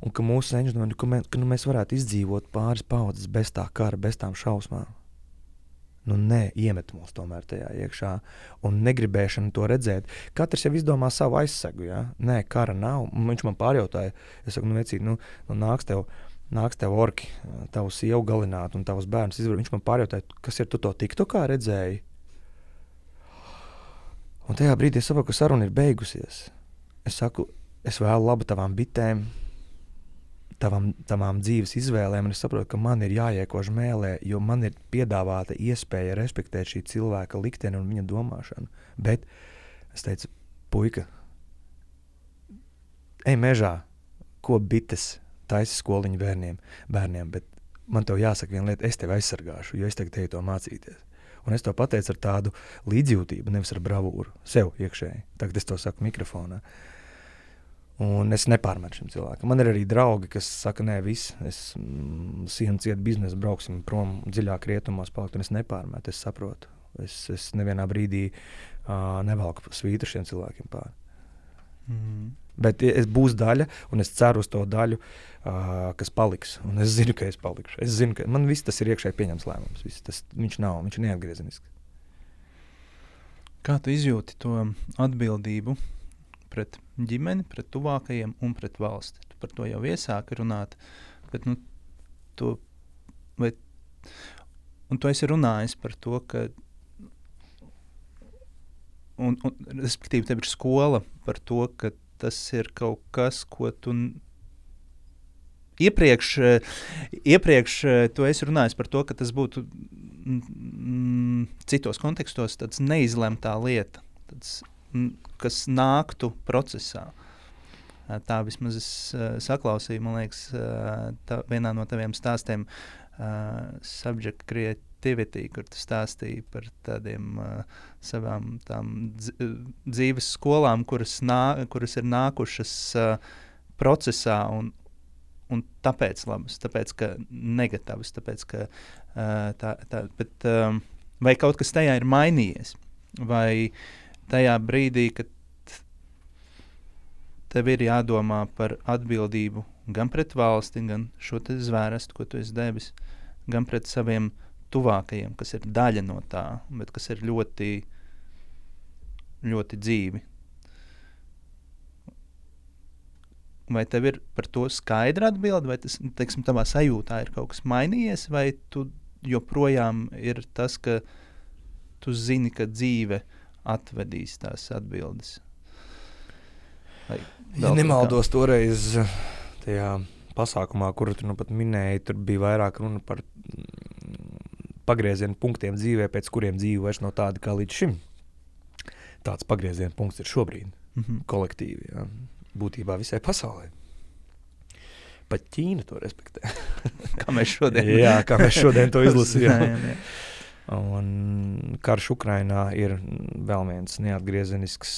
un ka mūsu seņš domā, ka mēs varētu izdzīvot pāris paaudzes bez tā kara, bez tām šausmām. Nē, iemet mūs tomēr tajā iekšā un negribēšana to redzēt. Katrs jau izdomā savu aizsegu, ja? Nē, kara nav. Viņš man pārjautāja, es saku, vecīt, nāks tev orki, tavu sievu galināt un tavus bērnus izvar. Viņš man pārjautāja, kas ir, tu to TikTokā redzēji? Un tajā brīdī es saprotu, ka saruna ir beigusies. Es saku, es vēlu labu tavām bitēm, tavām dzīves izvēlēm, un es saprotu, ka man ir jāiekož mēlē, jo man ir piedāvāta iespēja respektēt šī cilvēka likteni un viņa domāšanu. Bet es teicu, puika, ej mežā, ko bites taisi skoliņu bērniem, bet man tev jāsaka viena lieta, es tevi aizsargāšu, jo es tagad teju to mācīties. Un es to pateicu ar tādu līdzjūtību, nevis ar bravūru, sev iekšēji. Tagad es to saku mikrofonā. Un es nepārmetu šim cilvēkam. Man ir arī draugi, kas saka, nē, viss, es sienu ciet biznesu, brauksim prom dziļāk rietumos palikt, un es nepārmetu, es saprotu. Es nevienā brīdī nevelku svītu šiem cilvēkiem pāri. Bet es būs daļa, un es ceru uz to daļu, kas paliks. Un es zinu, ka es palikšu. Es zinu, ka man viss tas ir iekšēji pieņems lēmums. Viņš ir neatgriezenisks. Kā tu izjūti to atbildību pret ģimeni, pret tuvākajiem un pret valsti? Tu par to jau iesāki runāt, bet tu esi runājis par to, ka un respektīvi tev ir skola par to, ka tas ir kaut kas, ko tu iepriekš tu esi runājis par to, ka tas būtu citos kontekstos tāds neizlemtā lieta, tāds, kas nāktu procesā. Tā vismaz es saklausīju, man liekas, vienā no taviem stāstiem Subject Creativity, kur tu stāstīji par tādiem savām tām dzīves skolām, kuras ir nākušas procesā un tāpēc labas, tāpēc, ka negatīvas, tāpēc, ka bet vai kaut kas tajā ir mainījies? Vai tajā brīdī, kad tev ir jādomā par atbildību gan pret valsti, gan šo te zvērestu, ko tu esi devis, gan pret saviem tuvākajiem, kas ir daļa no tā, bet kas ir ļoti, ļoti dzīvi. Vai tev ir par to skaidra atbilde, vai tas, teiksim, tavā sajūtā ir kaut kas mainījies, vai tu joprojām ir tas, ka tu zini, ka dzīve atvedīs tās atbildes? Ja nemaldos toreiz tajā pasākumā, kuru tu nu pat minēji, tur bija vairāk runa par pagriezienu punktiem dzīvē, pēc kuriem dzīve vairs nav tāda kā līdz šim. Tāds pagriezienu punkts ir šobrīd, kolektīvi, jā. Būtībā visai pasaulē. Pat Ķīna to respektē. Kā mēs šodien. Jā, kā mēs šodien to izlasījām. Un karš Ukrainā ir vēl viens neatgriezenisks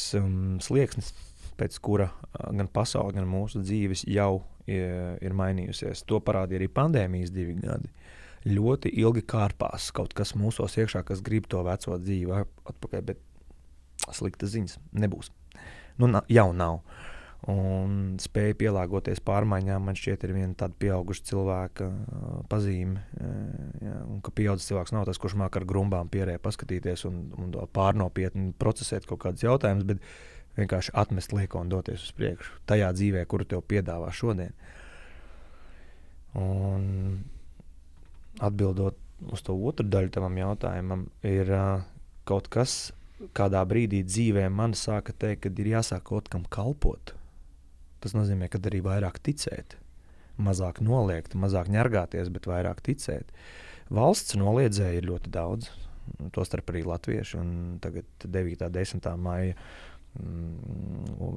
slieksnis, pēc kura gan pasaule, gan mūsu dzīves jau ir mainījusies. To parādīja arī pandēmijas 2 gadi. Ļoti ilgi kārpās kaut kas mūsos iekšā, kas grib to veco dzīvi atpakaļ, bet slikta ziņas nebūs. Nu, jau nav. Un spēja pielāgoties pārmaiņām, man šķiet, ir viena tāda pieauguša cilvēka pazīme. Ja, un ka pieaudzis cilvēks nav tas, kurš māk ar grumbām pierē paskatīties un pārnopietni procesēt kaut kādus jautājumus, bet vienkārši atmest lieko un doties uz priekšu tajā dzīvē, kuru tev piedāvā šodien. Un atbildot uz to otru daļu tavam jautājumam, ir kaut kas, kādā brīdī dzīvē man sāka teikt, kad ir jāsāk kaut kam kalpot. Tas nozīmē, ka arī vairāk ticēt, mazāk noliegt, mazāk ņargāties, bet vairāk ticēt. Valsts noliedzēja ir ļoti daudz, tostarp arī latvieši, un tagad 9. 10. maija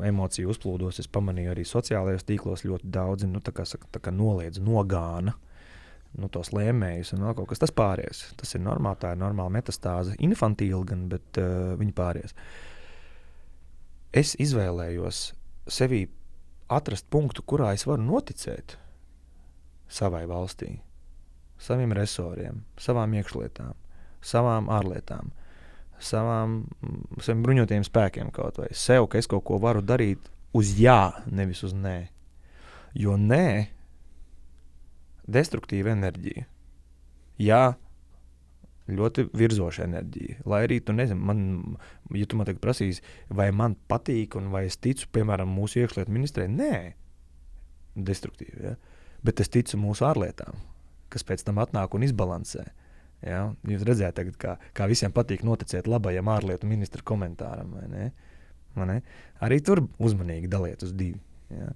emociju uzplūdos, es pamanīju arī sociālajos tīklos ļoti daudzi, tā kā noliedz, nogāna tos lēmējus un vēl kaut kas. Tas pāries. Tas ir normāli, tā ir normāla metastāze. Infantīli gan, bet viņi pāries. Es izvēlējos sevī atrast punktu, kurā es varu noticēt savai valstī, saviem resoriem, savām iekšlietām, savām ārlietām, saviem bruņotajiem spēkiem kaut vai. Sev, ka es kaut ko varu darīt uz jā, nevis uz nē. Jo nē, destruktīva enerģija. Jā, ļoti virzoša enerģija. Lai arī tu nezini, ja tu man tagad prasīsi, vai man patīk un vai es ticu, piemēram, mūsu iekšlietu ministrē, nē, destruktīvi, ja? Bet es ticu mūsu ārlietām, kas pēc tam atnāk un izbalansē. Ja? Jūs redzējāt tagad, kā visiem patīk noticēt labajam ārlietu ministra komentāram, vai ne? Vai ne? Arī tur uzmanīgi daliet uz 2. Ja?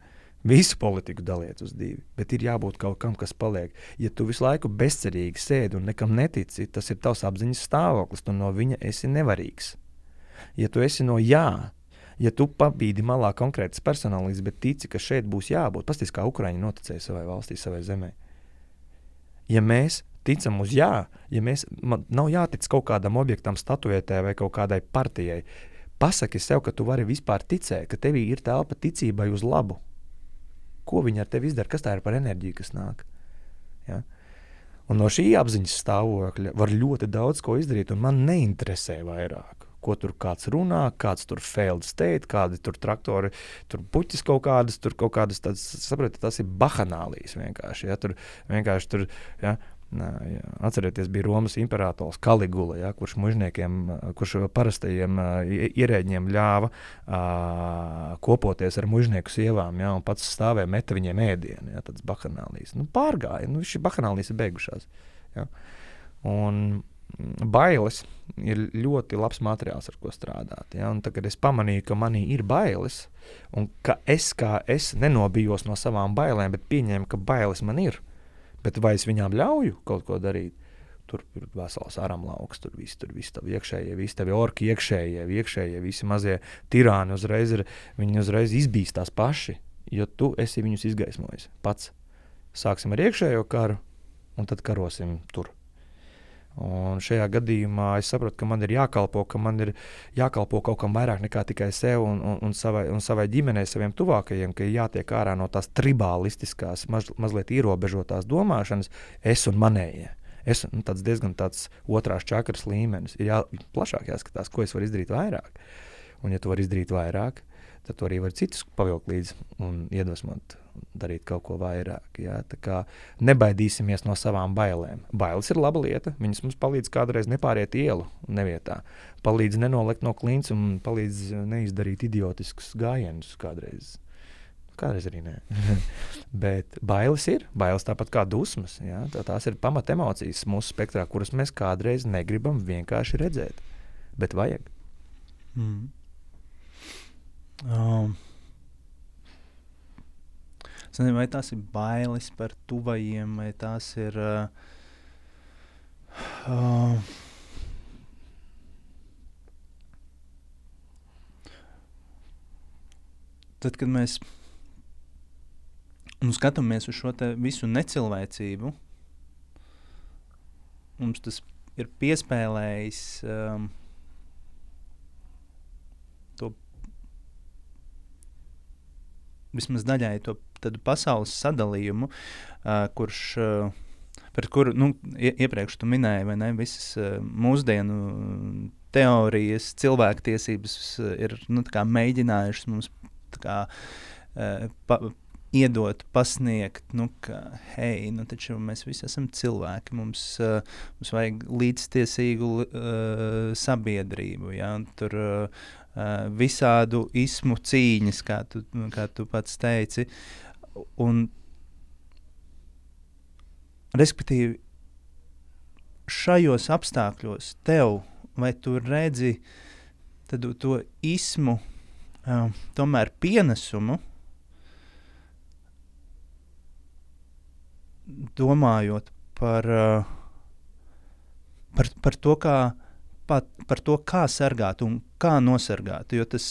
Visu politiku daliet uz 2, bet ir jābūt kaut kam, kas paliek. Ja tu visu laiku bezcerīgi sēdi un nekam netici, tas ir tavs apziņas stāvoklis, tu no viņa esi nevarīgs. Ja tu esi no jā, ja tu pabīdi malā konkrētas personālības, bet tici, ka šeit būs jābūt, pasties, kā Ukraiņi noticēja savai valstī, savai zemē. Ja mēs ticam uz jā, man nav jātic kaut kādam objektam, statuētē vai kaut kādai partijai, pasaki sev, ka tu vari vispār ticēt, ka tevī ir telpa ticībai uz labu. Ko viņi ar tevi izdara? Kas tā ir par enerģiju, kas nāk? Ja? Un no šī apziņas stāvokļa var ļoti daudz ko izdarīt, un man neinteresē vairāk, ko tur kāds runā, kāds tur failed state, kādi tur traktori, tur puķis kaut kādas, tāds, sapratu, tas ir bahanālijas vienkārši, ja? Tur vienkārši tur, ja? Atcerieties, bija Romas imperators Kaligula, ja, kurš parastajiem ierēģiem ļāva kopoties ar mužnieku sievām, ja, un pats stāvēja meta viņiem ēdienu, ja, tāds bahanālijas. Pārgāja, šī bahanālijas ir beigušās. Ja. Un bailes ir ļoti labs materiāls, ar ko strādāt. Ja? Un tad, kad es pamanīju, ka manī ir bailes, un ka es nenobijos no savām bailēm, bet pieņēmu, ka bailes man ir, bet vai es viņām ļauju kaut ko darīt? Tur ir vesels aramlauks, tur viss tavi iekšējie, visi tavi orki iekšējie, visi mazie tirāni viņi uzreiz izbīstās paši, jo tu esi viņus izgaismojis pats. Sāksim ar iekšējo karu, un tad karosim tur. Un šajā gadījumā es sapratu, ka man ir jākalpo kaut kam vairāk nekā tikai sev un savai ģimenei, saviem tuvākajiem, ka ir jātiek ārā no tās tribālistiskās, mazliet ierobežotās domāšanas, es un manējie. Tāds diezgan tāds otrās čakras līmenis. Ir plašāk jāskatās, ko es varu izdarīt vairāk. Un ja tu vari izdarīt vairāk, tad tu arī vari citus pavilkt līdzi un iedvesmot darīt kaut ko vairāk. Ja? Tā kā nebaidīsimies no savām bailēm. Bailes ir laba lieta. Viņas mums palīdz kādreiz nepāriet ielu nevietā. Palīdz nenolikt no klints un palīdz neizdarīt idiotiskus gājienus kādreiz. Kādreiz arī nē. Bet bailes ir. Bailes tāpat kā dusmas. Ja? Tās ir pamat emocijas mūsu spektrā, kuras mēs kādreiz negribam vienkārši redzēt. Bet vajag. Es nezinu, vai tās ir bailes par tuvajiem, vai tās ir tad, kad mēs skatāmies uz šo te visu necilvēcību, mums tas ir piespēlējis to vismaz daļai to tādu pasaules sadalījumu, pret kuru, iepriekš tu minēji, vai ne, visas mūsdienu teorijas, cilvēktiesības ir, tā kā mēģinājušas mums, tā kā, iedot, pasniegt, ka, hei, taču mēs visi esam cilvēki, mums vajag līdztiesīgu sabiedrību, ja, un tur visādu ismu cīņas, kā tu pats teici, un respektīvi šajos apstākļos tev, vai tu redzi to ismu tomēr pienesumu, domājot par to, par to, kā sargāt un kā nosargāt, jo tas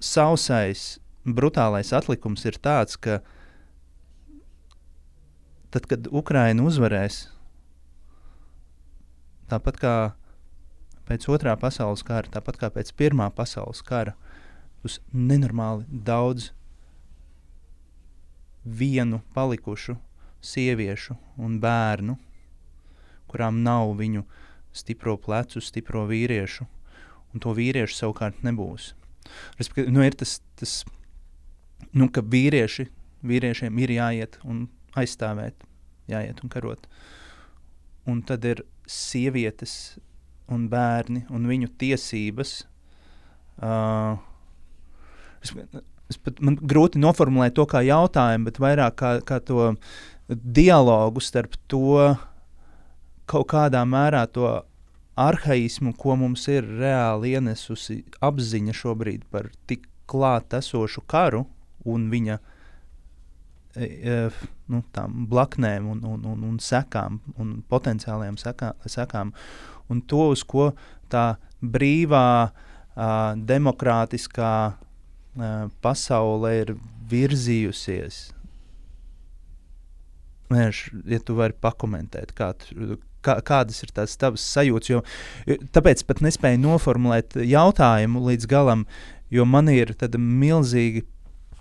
sausais, brutālais atlikums ir tāds, ka tad, kad Ukraina uzvarēs, tāpat kā pēc otrā pasaules kara, tāpat kā pēc pirmā pasaules kara, būs nenormāli daudz vienu palikušu sieviešu un bērnu, kurām nav viņu stipro plecu, stipro vīriešu, un to vīriešu savukārt nebūs. Respektīvi, ir tas ka vīriešiem ir jāiet un aizstāvēt, jāiet un karot. Un tad ir sievietes un bērni un viņu tiesības. Man grūti noformulēt to kā jautājumu, bet vairāk kā to dialogu starp to kaut kādā mērā to arhaismu, ko mums ir reāli ienesusi apziņa šobrīd par tik klāt esošu karu un viņa tām blaknēm un sekām un potenciālajām sekām. Un to, uz ko tā brīvā, demokrātiskā pasaule ir virzījusies. Ja tu vari pakomentēt, kādas ir tās tavas sajūtas, jo tāpēc pat nespēju noformulēt jautājumu līdz galam, jo man ir tāda milzīgi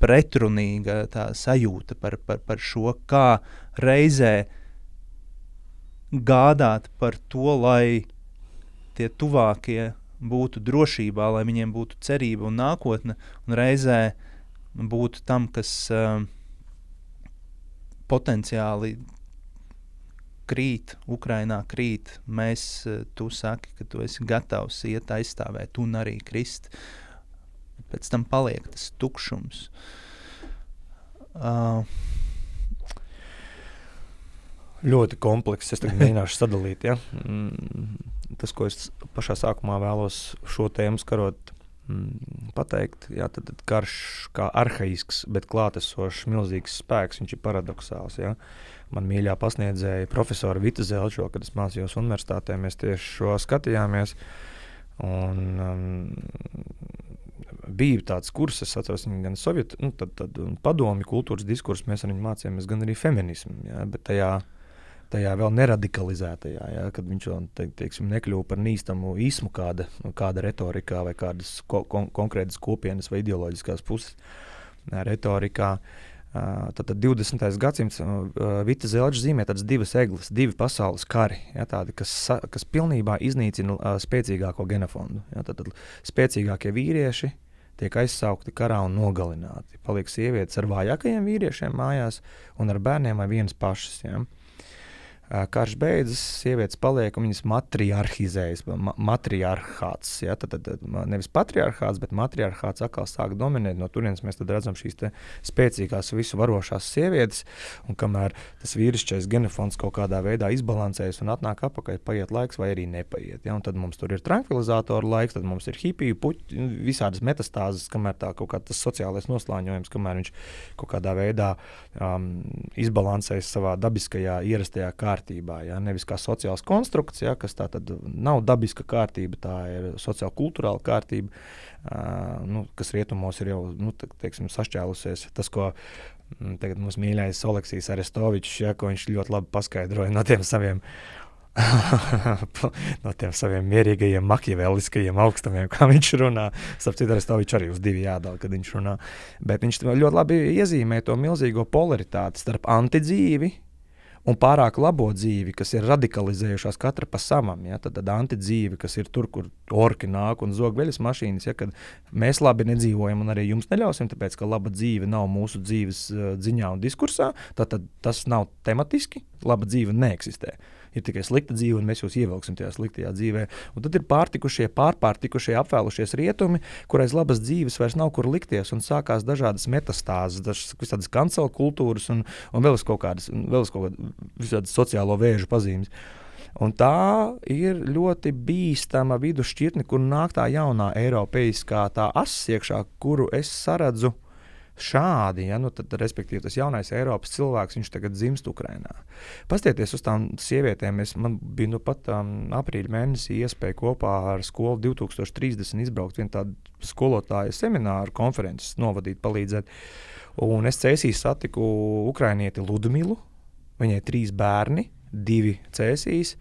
pretrunīga tā sajūta par šo, kā reizē gādāt par to, lai tie tuvākie būtu drošībā, lai viņiem būtu cerība un nākotne, un reizē būtu tam, kas potenciāli krīt, Ukrainā krīt. Tu saki, ka tu esi gatavs iet aizstāvēt un arī krist. Pēc tam paliek tas tukšums. Ļoti komplekss. Es tagad mēģināšu sadalīt. Ja? Tas, ko es pašā sākumā vēlos šo tēmu skarot, pateikt, jā, tad karš kā arhaisks, bet klātesošs milzīgs spēks, viņš ir paradoxāls. Ja? Man mīļā pasniedzēja profesora Vita Zelčo, kad es mācījos universitātē, mēs tieši šo skatījāmies. Un bija tāds kurs, es atceros, gan sovietu, tad padomju kultūras diskursu mēs ar viņu mācījāmies, gan arī feminismu, ja, bet tajā vēl neradikalizētajā, ja, kad viņš vēl, teiksim, nekļuva par nīstamu ismu kāda retorikā vai kādas konkrētas kopienas vai ideoloģiskās puses retorikā. Tad 20. gadsimts Vita Zelča zīmē tādas divas egles, divi pasaules kari, ja, tādi, kas pilnībā iznīcina spēcīgāko genofondu. Ja, tad spēcīgākie vīrieši tiek aizsaukti karā un nogalināti. Paliek sievietes ar vājākajiem vīriešiem mājās un ar bērniem vai vienas pašas. Ja. Karš beidzas, sievietes paliek un viņas matriarhizējas, matriarhāts. Ja, tad nevis patriarhāts, bet matriarhāts atkal sāk dominēt. No turienes mēs tad redzam šīs te spēcīgās visu varošās sievietes, un kamēr tas vīrišķais genofons kaut kādā veidā izbalansējas un atnāk apakaļ, paiet laiks vai arī nepaiet. Ja, un tad mums tur ir tranquilizātoru laiks, tad mums ir hipiju, puķi, visādas metastāzes, kamēr tā kaut kā tas sociālais noslāņojums, kamēr viņš kaut kādā veidā izbalansējas savā dabiskajā, ierastajā kārtībā. Ja? Nevis kā sociāls konstrukts, ja? Kas tā tad nav dabiska kārtība, tā ir sociāli-kulturāla kārtība, kas rietumos ir jau teiksim, sašķēlusies. Tas, ko tagad mums mīļais Oleksijs Arestovičs, ja? Ko viņš ļoti labi paskaidroja no tiem saviem mierīgajiem, makiaveliskajiem augstumiem, kā viņš runā. Starp Arestovičs arī uz divi jādala, kad viņš runā. Bet viņš ļoti labi iezīmē to milzīgo polaritāti starp antidzīvi un pārāk labo dzīvi, kas ir radikalizējušās katra pa savam. Ja? Tad antidzīvi, kas ir tur, kur orki nāk un zog veļas mašīnas, ja? Kad mēs labi nedzīvojam un arī jums neļausim, tāpēc, ka laba dzīve nav mūsu dzīves dziņā un diskursā, tad tas nav tematiski, laba dzīve neeksistē. Ir tikai slikta dzīve, un mēs jūs ievilksim tajā sliktajā dzīvē. Un tad ir pārpārtikušie, apvēlušies rietumi, kurais labas dzīves vairs nav kur likties, un sākās dažādas metastāzes, dažādas kancela kultūras un vēl kaut kādas visādas sociālo vēžu pazīmes. Un tā ir ļoti bīstama vidusšķirtne, kur nāk tā jaunā eiropeiskā tā ass iekšā, kuru es saredzu šādi, ja, tad, respektīvi, tas jaunais Eiropas cilvēks, viņš tagad dzimst Ukrainā. Pastieties uz tām sievietēm, man bija pat aprīļa mēnesī iespēja kopā ar skolu 2030 izbraukt vienu tādu skolotāju semināru konferences novadīt, palīdzēt. Un es Cēsī satiku ukrainieti Ludmilu, viņai 3 bērni, 2 Cēsīs,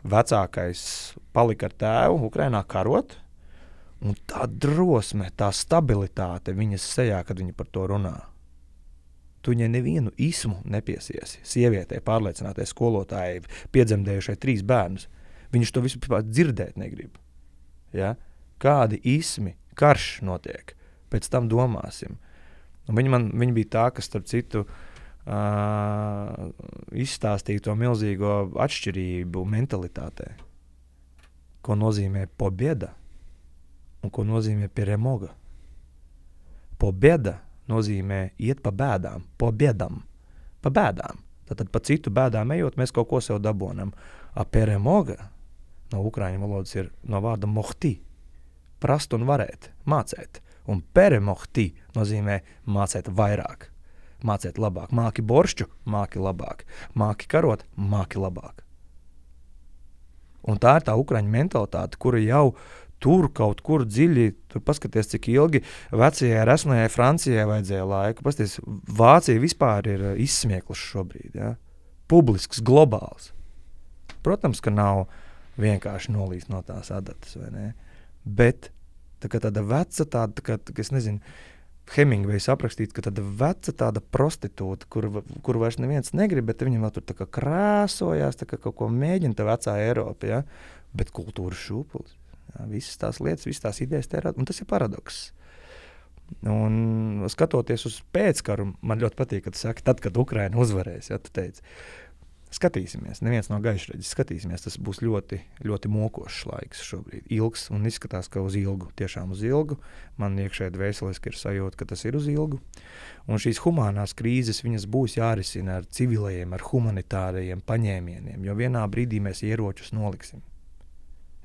vecākais palika ar tēvu Ukrainā karot. Un tā drosme, tā stabilitāte viņas sejā, kad viņa par to runā. Tu viņai nevienu ismu nepiesiesi. Sievietei, pārliecinātai skolotājai, piedzemdējušai 3 bērnus. Viņš to visu dzirdēt negrib. Ja? Kādi ismi, karš notiek. Pēc tam domāsim. Un viņa bija tā, kas starp citu izstāstīja to milzīgo atšķirību mentalitātē. Ko nozīmē pobieda? Un ko nozīmē peremoga? Pobeda nozīmē iet pa bēdām, pobiedam, pa bēdām. Tātad pa citu bēdām ejot, mēs kaut ko sev dabonam. A peremoga no ukraiņu valodas ir no vārda mohti, prast un varēt, mācēt. Un peremohti nozīmē mācēt vairāk, mācēt labāk. Māki boršķu, māki labāk. Māki karot, māki labāk. Un tā ir tā ukraiņu mentalitāte, kura jau tur kaut kur dziļi, tur paskaties, cik ilgi vecajai resnajai Francijai vajadzēja laiku. Paskaties, Vācija vispār ir izsmieklis šobrīd, ja? Publisks, globāls. Protams, ka nav vienkārši nolīst no tās adatas, vai ne? Bet tāda veca, es nezinu, Hemingvejs aprakstīt, ka tāda veca tāda prostitūta, kur vairs neviens negrib, bet viņam vēl tur tā kā krāsojās, tā kā kaut ko mēģina tā vecā Eiropa, ja? Bet kultūras šūpulis. Jā, visas tās lietas, visas tās idejas tērāt, un tas ir paradoks. Un skatoties uz pēckaru, man ļoti patīk, ka tu saki, tad, kad Ukraina uzvarēs, ja tu teici. Skatīsimies, neviens nav gaišreģis, skatīsimies, tas būs ļoti, ļoti mokošs laiks šobrīd, ilgs, un izskatās, ka uz ilgu, tiešām uz ilgu. Man iekšēji dvēseliski ir sajūta, ka tas ir uz ilgu. Un šīs humānās krīzes, viņas būs jārisina ar civilajiem, ar humanitārajiem paņēmieniem, jo vienā brīdī mēs ieročus noliksim.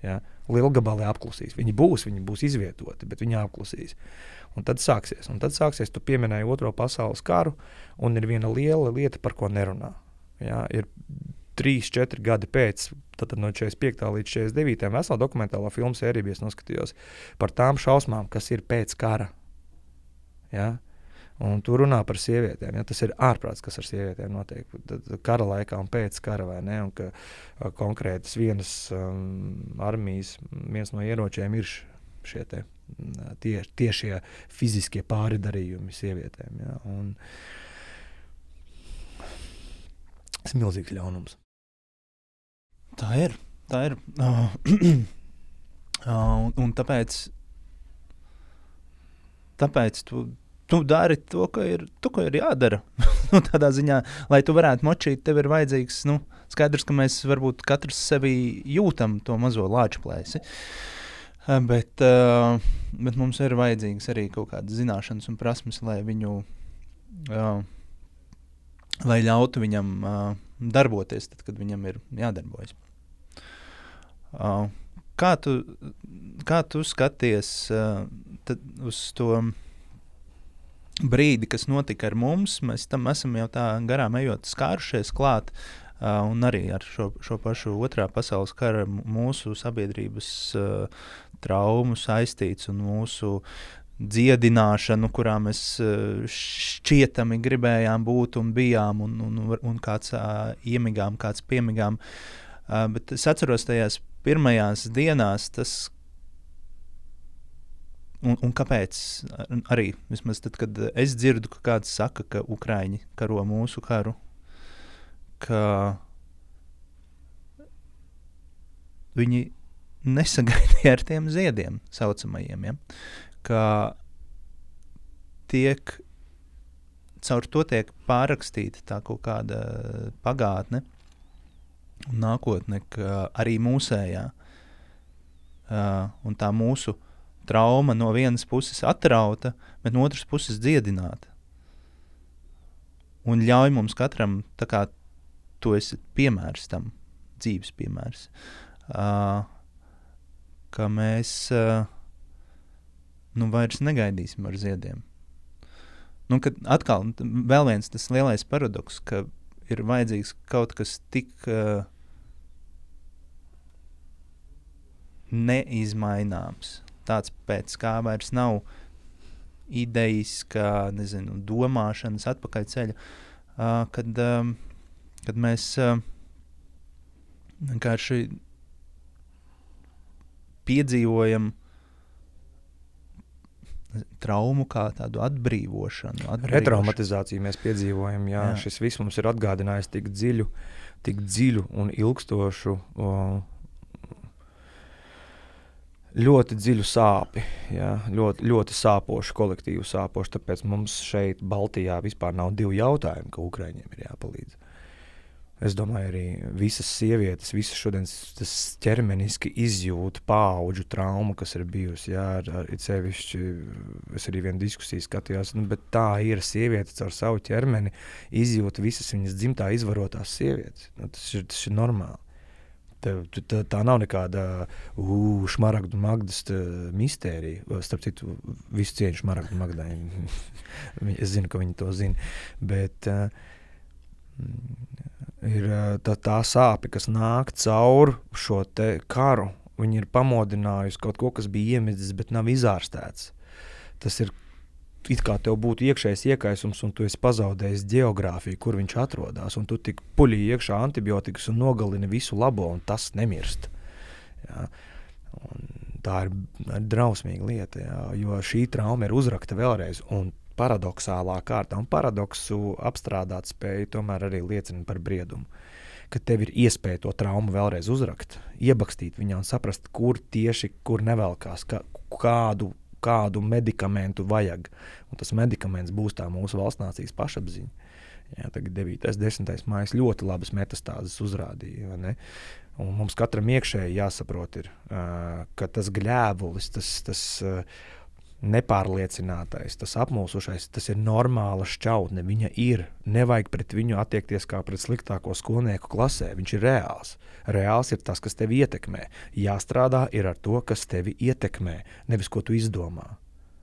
Ja? Lielgabalē apklusīs. Viņi būs izvietoti, bet viņi apklusīs. Un tad sāksies, tu pieminēji Otro pasaules karu, un ir viena liela lieta, par ko nerunā. Ja, ir 3-4 gadi pēc, tad no 45. līdz 49. vesela dokumentālā filmu sēriju es noskatījos par tām šausmām, kas ir pēc kara. Ja? Un tu runā par sievietēm. Ja? Tas ir ārprāts, kas ar sievietēm notiek kara laikā un pēc kara, vai ne? Un ka konkrētas vienas armijas, viens no ieročiem ir šie tiešie fiziskie pāridarījumi sievietēm. Ja? Un tas ir milzīgs ļaunums. Tā ir. Un tāpēc tu dari to, ko ir jādara. Tādā ziņā, lai tu varētu močīt, tev ir vajadzīgs, skaidrs, ka mēs varbūt katrs sevi jūtam to mazo lāču plēsi. Bet mums ir vajadzīgs arī kaut kādas zināšanas un prasmes, lai viņu lai ļautu viņam darboties, tad, kad viņam ir jādarbojas. Kā tu skaties uz to brīdi, kas notika ar mums? Mēs tam esam jau tā garām ejot skārušies klāt, un arī ar šo pašu Otrā pasaules kara mūsu sabiedrības traumu saistīts un mūsu dziedināšanu, kurā mēs šķietami gribējām būt un bijām, un kāds iemigām, kāds piemigām. Bet es atceros tajās pirmajās dienās, un kāpēc arī, vismaz tad, kad es dzirdu, ka kāds saka, ka Ukraiņi karo mūsu karu, ka viņi nesagaidīja ar tiem ziediem saucamajiem, ja? Ka caur to tiek pārrakstīta tā kaut kāda pagātne un nākotne, ka arī mūsējā un tā mūsu trauma no vienas puses atrauta, bet no otras puses dziedināta. Un ļauj mums katram, tā kā tu esi piemērs tam, dzīves piemērs, ka mēs vairs negaidīsim ar ziediem. Kad atkal vēl viens tas lielais paradoks, ka ir vajadzīgs kaut kas tik neizmaināms, tāds pēc kā vairs nav idejas, kā, domāšanas atpakaļceļa, kad mēs vienkārši piedzīvojam traumu kā tādu atbrīvošanu. Retraumatizāciju mēs piedzīvojam, jā. Šis viss mums ir atgādinājis tik dziļu un ilgstošu, ļoti dziļu sāpi, jā. Ļoti sāpošu, kolektīvu sāpošu, tāpēc mums šeit Baltijā vispār nav 2 jautājumi, ka Ukraiņiem ir jāpalīdz. Es domāju, arī visas sievietes, visas šodien tas ķermeniski izjūt paauģu traumu, kas ir bijusi. Jā, ar sevišķi, es arī vienu diskusiju skatījos, bet tā ir sievietes ar savu ķermeni, izjūt visas viņas dzimtā izvarotās sievietes. Tas ir normāli. Tā nav nekāda Šmaragdu Magdas mistērija. Starp citu, visu cieņu Šmaragdu Magdai. Es zinu, ka viņi to zina. Bet ir tā sāpe, kas nāk caur šo te karu. Viņi ir pamodinājusi kaut ko, kas bija iemidzis, bet nav izārstēts. Tas ir it kā tev būtu iekšējs iekaisums, un tu esi pazaudējis geogrāfiju, kur viņš atrodās, un tu tik puļi iekšā antibiotikas un nogalini visu labo, un tas nemirst. Jā. Un tā ir drausmīga lieta, jā, jo šī trauma ir uzrakta vēlreiz, un paradoxālā kārtā, un paradoksu apstrādāt spēju tomēr arī liecina par briedumu, ka tev ir iespēja to traumu vēlreiz uzrakt, iebakstīt viņā un saprast, kur nevelkās, kādu medikamentu vajag. Un tas medikaments būs tā mūsu valsts nācijas pašapziņa. Jā, tagad 9. 10. mājas ļoti labas metastāzes uzrādīja, vai ne? Un mums katram iekšēji jāsaprot ir, ka tas gļēvulis, tas nepārliecinātais, tas apmulsušais, tas ir normāla šķautne, viņa ir. Nevajag pret viņu attiekties kā pret sliktāko skolnieku klasē, viņš ir reāls. Reāls ir tas, kas tevi ietekmē. Jāstrādā ir ar to, kas tevi ietekmē, nevis ko tu izdomā.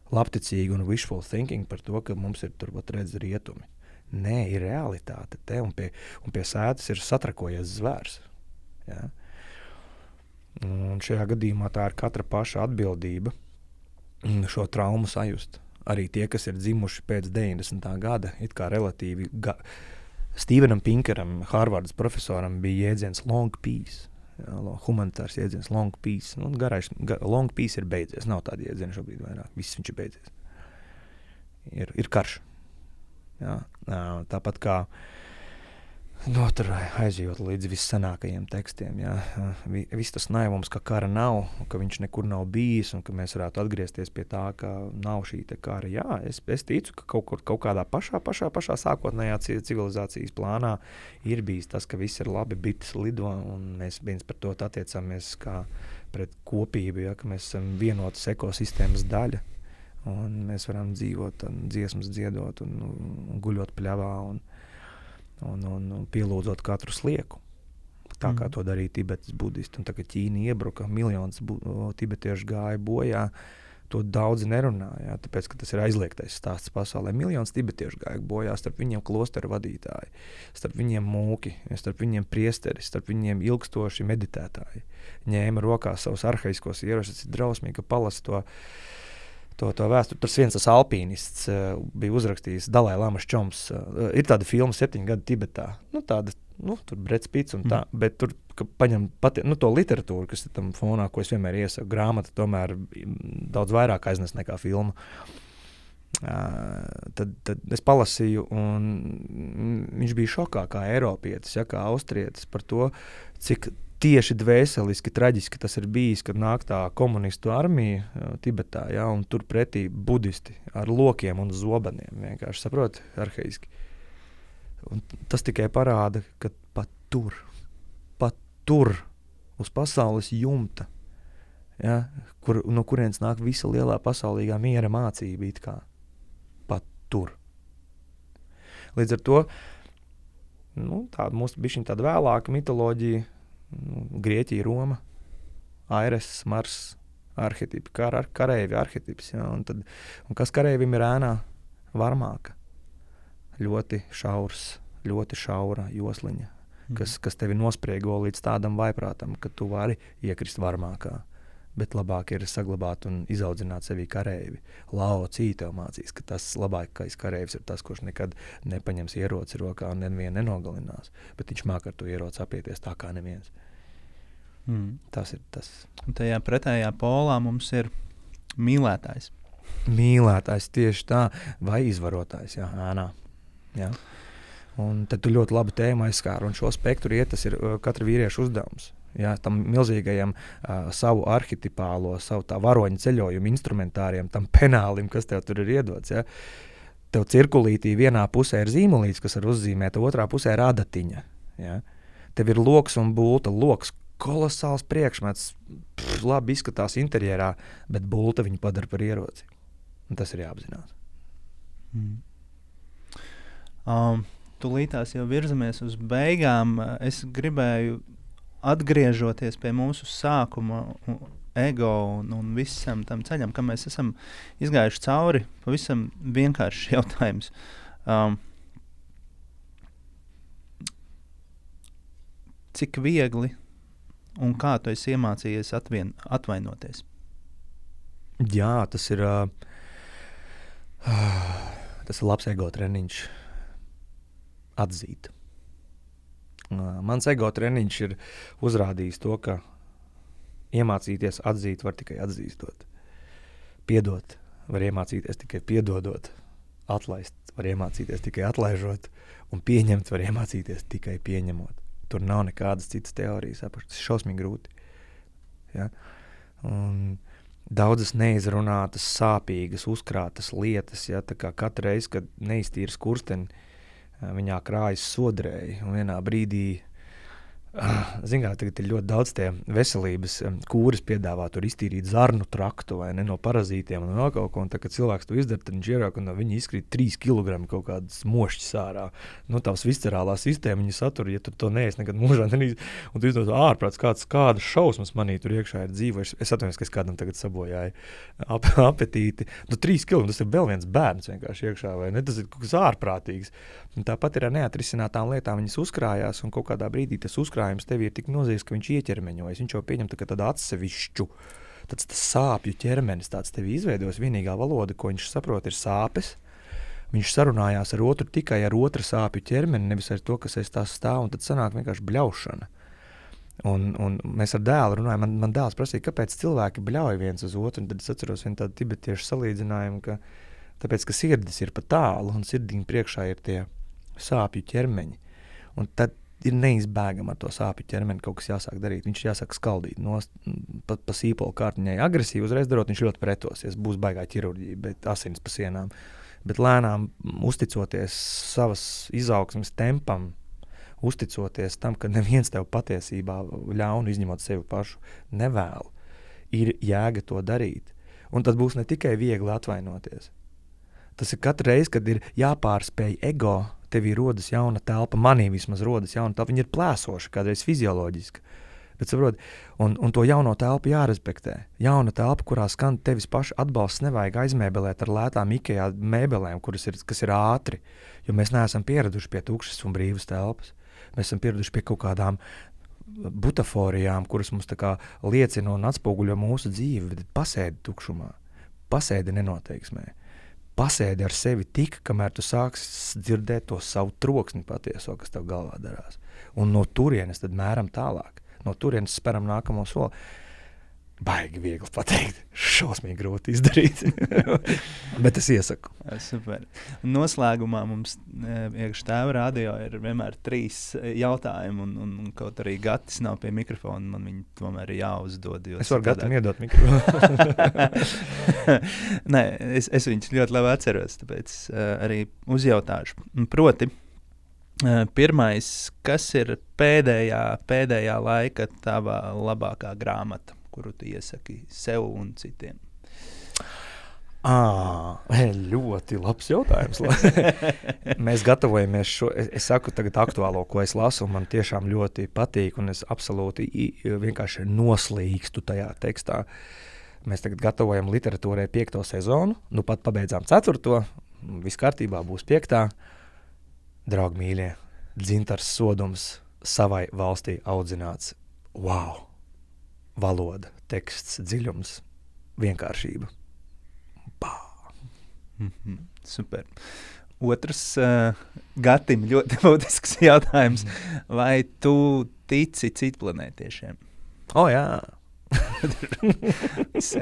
Labticīgi un wishful thinking par to, ka mums ir turpat redz rietumi. Nē, ir realitāte te, un pie sētas ir satrakojies zvērs. Ja? Un šajā gadījumā tā ir katra paša atbildība šo traumu sajust. Arī tie, kas ir dzimuši pēc 90. gada, it kā relatīvi Stevenam Pinkeram, Harvardas profesoram, bija jēdziens long peace. Ja, humanitārs jēdziens long peace. Nu, long peace ir beidzies. Nav tāda jēdziena šobrīd vairāk. Viss viņš ir beidzies. Ir karš. Ja, tāpat kā tur aizjūt līdz vissenākajiem tekstiem. Ja. Viss tas naivums, ka kara nav, ka viņš nekur nav bijis un ka mēs varētu atgriezties pie tā, ka nav šī te kara. Jā, es ticu, ka kaut kādā pašā sākotnējā civilizācijas plānā ir bijis tas, ka viss ir labi, bites lido un mēs viens par to attiecamies kā pret kopību, ja, ka mēs esam vienotas ekosistēmas daļa un mēs varam dzīvot un dziesmas dziedot un guļot pļavā un pielūdzot katru slieku. Tā kā to darīja Tibetas budisti. Un tā, ka Ķīna iebruka, miljonus tibetiešu gāja bojā, to daudzi nerunāja, tāpēc, ka tas ir aizliegtais stāsts pasaulē. Miljonus tibetiešu gāja bojā, starp viņiem klosteru vadītāji, starp viņiem mūki, starp viņiem priesteri, starp viņiem ilgstoši meditētāji. Ņēma rokās savus arhaiskos ieročus, ir drausmīgi, ka palasa to vēsturi. Tur viens tas alpīnists bija uzrakstījis Dalai Lamas čoms. Ir tāda filma 7 gadi Tibetā. Tur Breds Pits un tā, bet tur paņem to literatūru, kas ir tam fonā, ko es vienmēr iesaku. Grāmata tomēr daudz vairāk aiznes nekā filma. Tad es palasīju, un viņš bija šokā kā eiropietis, ja, kā austrietis par to, cik tieši dvēseliski, traģiski tas ir bijis, kad nāk tā komunistu armija Tibetā, ja, un tur pretī budisti ar lokiem un zobeniem, vienkārši saprot, arhaiski. Un tas tikai parāda, ka pat tur, uz pasaules jumta, ja, no kurienes nāk visa lielā pasaulīgā miera mācība, it kā, pat tur. Līdz ar to, tāda mūsu bišķiņ tāda vēlāka mitoloģija, Grieķija, Roma, Aires, Mars, arhetipi, kareivi arhetips. Ja, un kas kareivim ir ēnā? Varmāka. Ļoti šaura josliņa, kas tevi nospriego līdz tādam vaiprātam, ka tu vari iekrist varmākā. Bet labāk ir saglabāt un izaudzināt sevī kareivi. Lao Cī tev mācīs, ka tas labākais kareivs ir tas, kurš nekad nepaņems ieroci rokā un nevienu nenogalinās. Bet viņš māk ar to ieroci apieties tā kā neviens. Tas ir tas. Un tajā pretējā polā mums ir mīlētājs. Mīlētājs tieši tā, vai izvarotājs, jā, ēnā. Jā. Un tad tu ļoti labu tēmu aizskāri, un šo spektru tas ir katra vīrieša uzdevums. Jā, tam milzīgajam savu arhetipālo, savu tā varoņu ceļojumu instrumentāriem, tam penālim, kas tev tur ir iedots. Ja? Tev cirkulītī vienā pusē ir zīmolīts, kas var uzzīmēt, otrā pusē ir adatiņa. Ja? Tev ir loks un bulta. Loks kolosāls priekšmets, labi izskatās interjerā, bet bulta viņu padara par ieroci. Un tas ir jāapzinās. Tūlītās jau virzamies uz beigām. Es gribēju atgriežoties pie mūsu sākuma ego un visam tam ceļam, ka mēs esam izgājuši cauri, pavisam vienkāršs jautājums. Cik viegli un kā tu esi iemācījies atvainoties? Jā, tas ir labs ego treniņš atzīt. Mans ego treniņš ir uzrādījis to, ka iemācīties atzīt var tikai atzīstot. Piedot var iemācīties tikai piedodot. Atlaist var iemācīties tikai atlaižot. Un pieņemt var iemācīties tikai pieņemot. Tur nav nekādas citas teorijas. Tas ir šausmīgi grūti. Ja? Un daudzas neizrunātas, sāpīgas, uzkrātas lietas. Ja? Tā kā katru reizi, kad neiztīri skursteni, viņā krājas sodrēji, un vienā brīdī, zin kā, tagad ir ļoti daudz tie veselības kūras piedāvā tur iztīrīt zarnu traktu vai ne no parazītiem un vēl kaut ko, un tā, kad cilvēks to izdara, tad viņš ierāk, un viņi izkrīt 3 kilogrami kaut kādas mošķis ārā. Nu, tavs viscerālā sistēma viņa satura, ja tu to neesi nekad mūžā nenīs, un tu izdos ārprāts, kādas šausmas manī tur iekšā ir dzīvojuši. Es atvainojos, ka es kādam tagad sabojāju apetīti. Nu, 3 kilogrami, tas ir vēl viens bērns vienkārši iekšā, vai ne? Tas ir kaut kas ārprātīgs. Un tāpat ir ar neatrisinātām lietām, viņas uzkrājās, un kaut kādā brīdī tas uzkrājums tev ir tik nozīgs, ka viņš ieķermeņojas. Viņš jau pieņem tādu atsevišķu, tas sāpju ķermenis tāds tevi izveidos. Vienīgā valoda, ko viņš saprot, ir sāpes. Viņš sarunājās ar otru tikai ar otra sāpju ķermeni, nevis ar to, kas aiz tās stāv, un tad sanāk vienkārši bļaušana. Un mēs ar dēlu runājam, man dēls prasīja, kāpēc cilvēki bļauj viens uz otru, un tad es atceros vienu tādu tibetiešu salīdzinājumu, ka tāpēc, ka sirdis ir pa tālu, un sirdiņu priekšā ir tie sāpju ķermeņi. Un tad ir neizbēgama ar to sāpju ķermeni kaut kas jāsāk darīt. Viņš jāsāk skaldīt pa sīpolu kārtiņai. Agresīvi uzreiz darot, viņš ļoti pretosies. Būs baigā ķirurģija, bet asins pa sienām. Bet lēnām uzticoties savas izaugsmes tempam, uzticoties tam, ka neviens tev patiesībā ļaunu izņemot sevi pašu nevēl, ir jēga to darīt. Un tad būs ne tikai viegli atvainoties. Tas ir katru reizi, kad ir jāpārspēj ego, tevī rodas jauna telpa, manī vismaz rodas jauna telpa, viņa ir plēsoša, kādreiz fizioloģiska. Bet saprot, un to jauno telpu jārespektē. Jauna telpa, kurā skan tevis paša atbalsts, nevajag aizmēbelēt ar lētām IKEA mēbelēm, kas ir ātri, jo mēs neesam pieraduši pie tukšas un brīvas telpas. Mēs esam pieraduši pie kaut kādām butaforijām, kuras mums tā kā liecina un atspoguļo mūsu dzīvi, bet pasēdi tukšumā, pasēdi nenoteiksmē. Pasēdi ar sevi tik, kamēr tu sāksi dzirdēt to savu troksni patieso, kas tev galvā darās. Un no turienes tad mēram tālāk. No turienes speram nākamo soli. Baigi viegli pateikt. Šausmīgi grūti izdarīt. Bet es iesaku. Super. Noslēgumā mums iekš Tēva radio ir vienmēr 3 jautājumi, un kaut arī Gatis nav pie mikrofona, man viņi tomēr ir jāuzdod. Es varu Gatim iedot mikrofonu. Nē, es viņus ļoti labi atceros, tāpēc arī uzjautāšu. Proti, pirmais, kas ir pēdējā laika tava labākā grāmata, kuru tu iesaki sev un citiem? Ļoti labs jautājums. Mēs gatavojamies šo, es saku tagad aktuālo, ko es lasu, un man tiešām ļoti patīk, un es absolūti vienkārši noslīkstu tajā tekstā. Mēs tagad gatavojam literatūrai 5. sezonu, nu pat pabeidzām 4. Viss kārtībā būs 5. Draugi mīļie, Dzintars Sodums savai valstī audzināts. Wow! Valoda, teksts, dziļums, vienkāršība. Super. Otrs Gatim ļoti būtisks jautājums. Vai tu tici citplanētiešiem? Jā.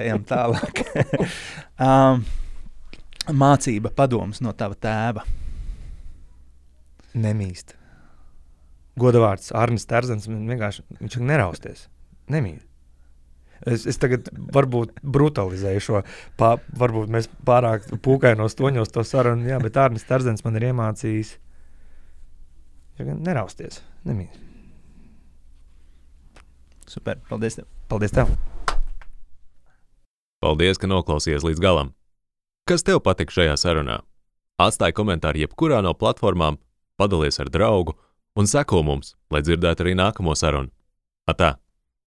Ejam tālāk. Mācība, padoms no tava tēva? Nemīst. Godavārds Arnis Terzens, viņš nerausties. Nemīst. Es tagad varbūt brutalizēju šo, varbūt mēs pārāk pūkainos toņos to sarunu, jā, bet Arnis Terzens man ir iemācījis nerausties. Nemīst. Super, paldies tev. Paldies tev. Paldies, ka noklausījies līdz galam. Kas tev patika šajā sarunā? Atstāj komentāru jebkurā no platformām, padalies ar draugu un seko mums, lai dzirdētu arī nākamo sarunu. Atā!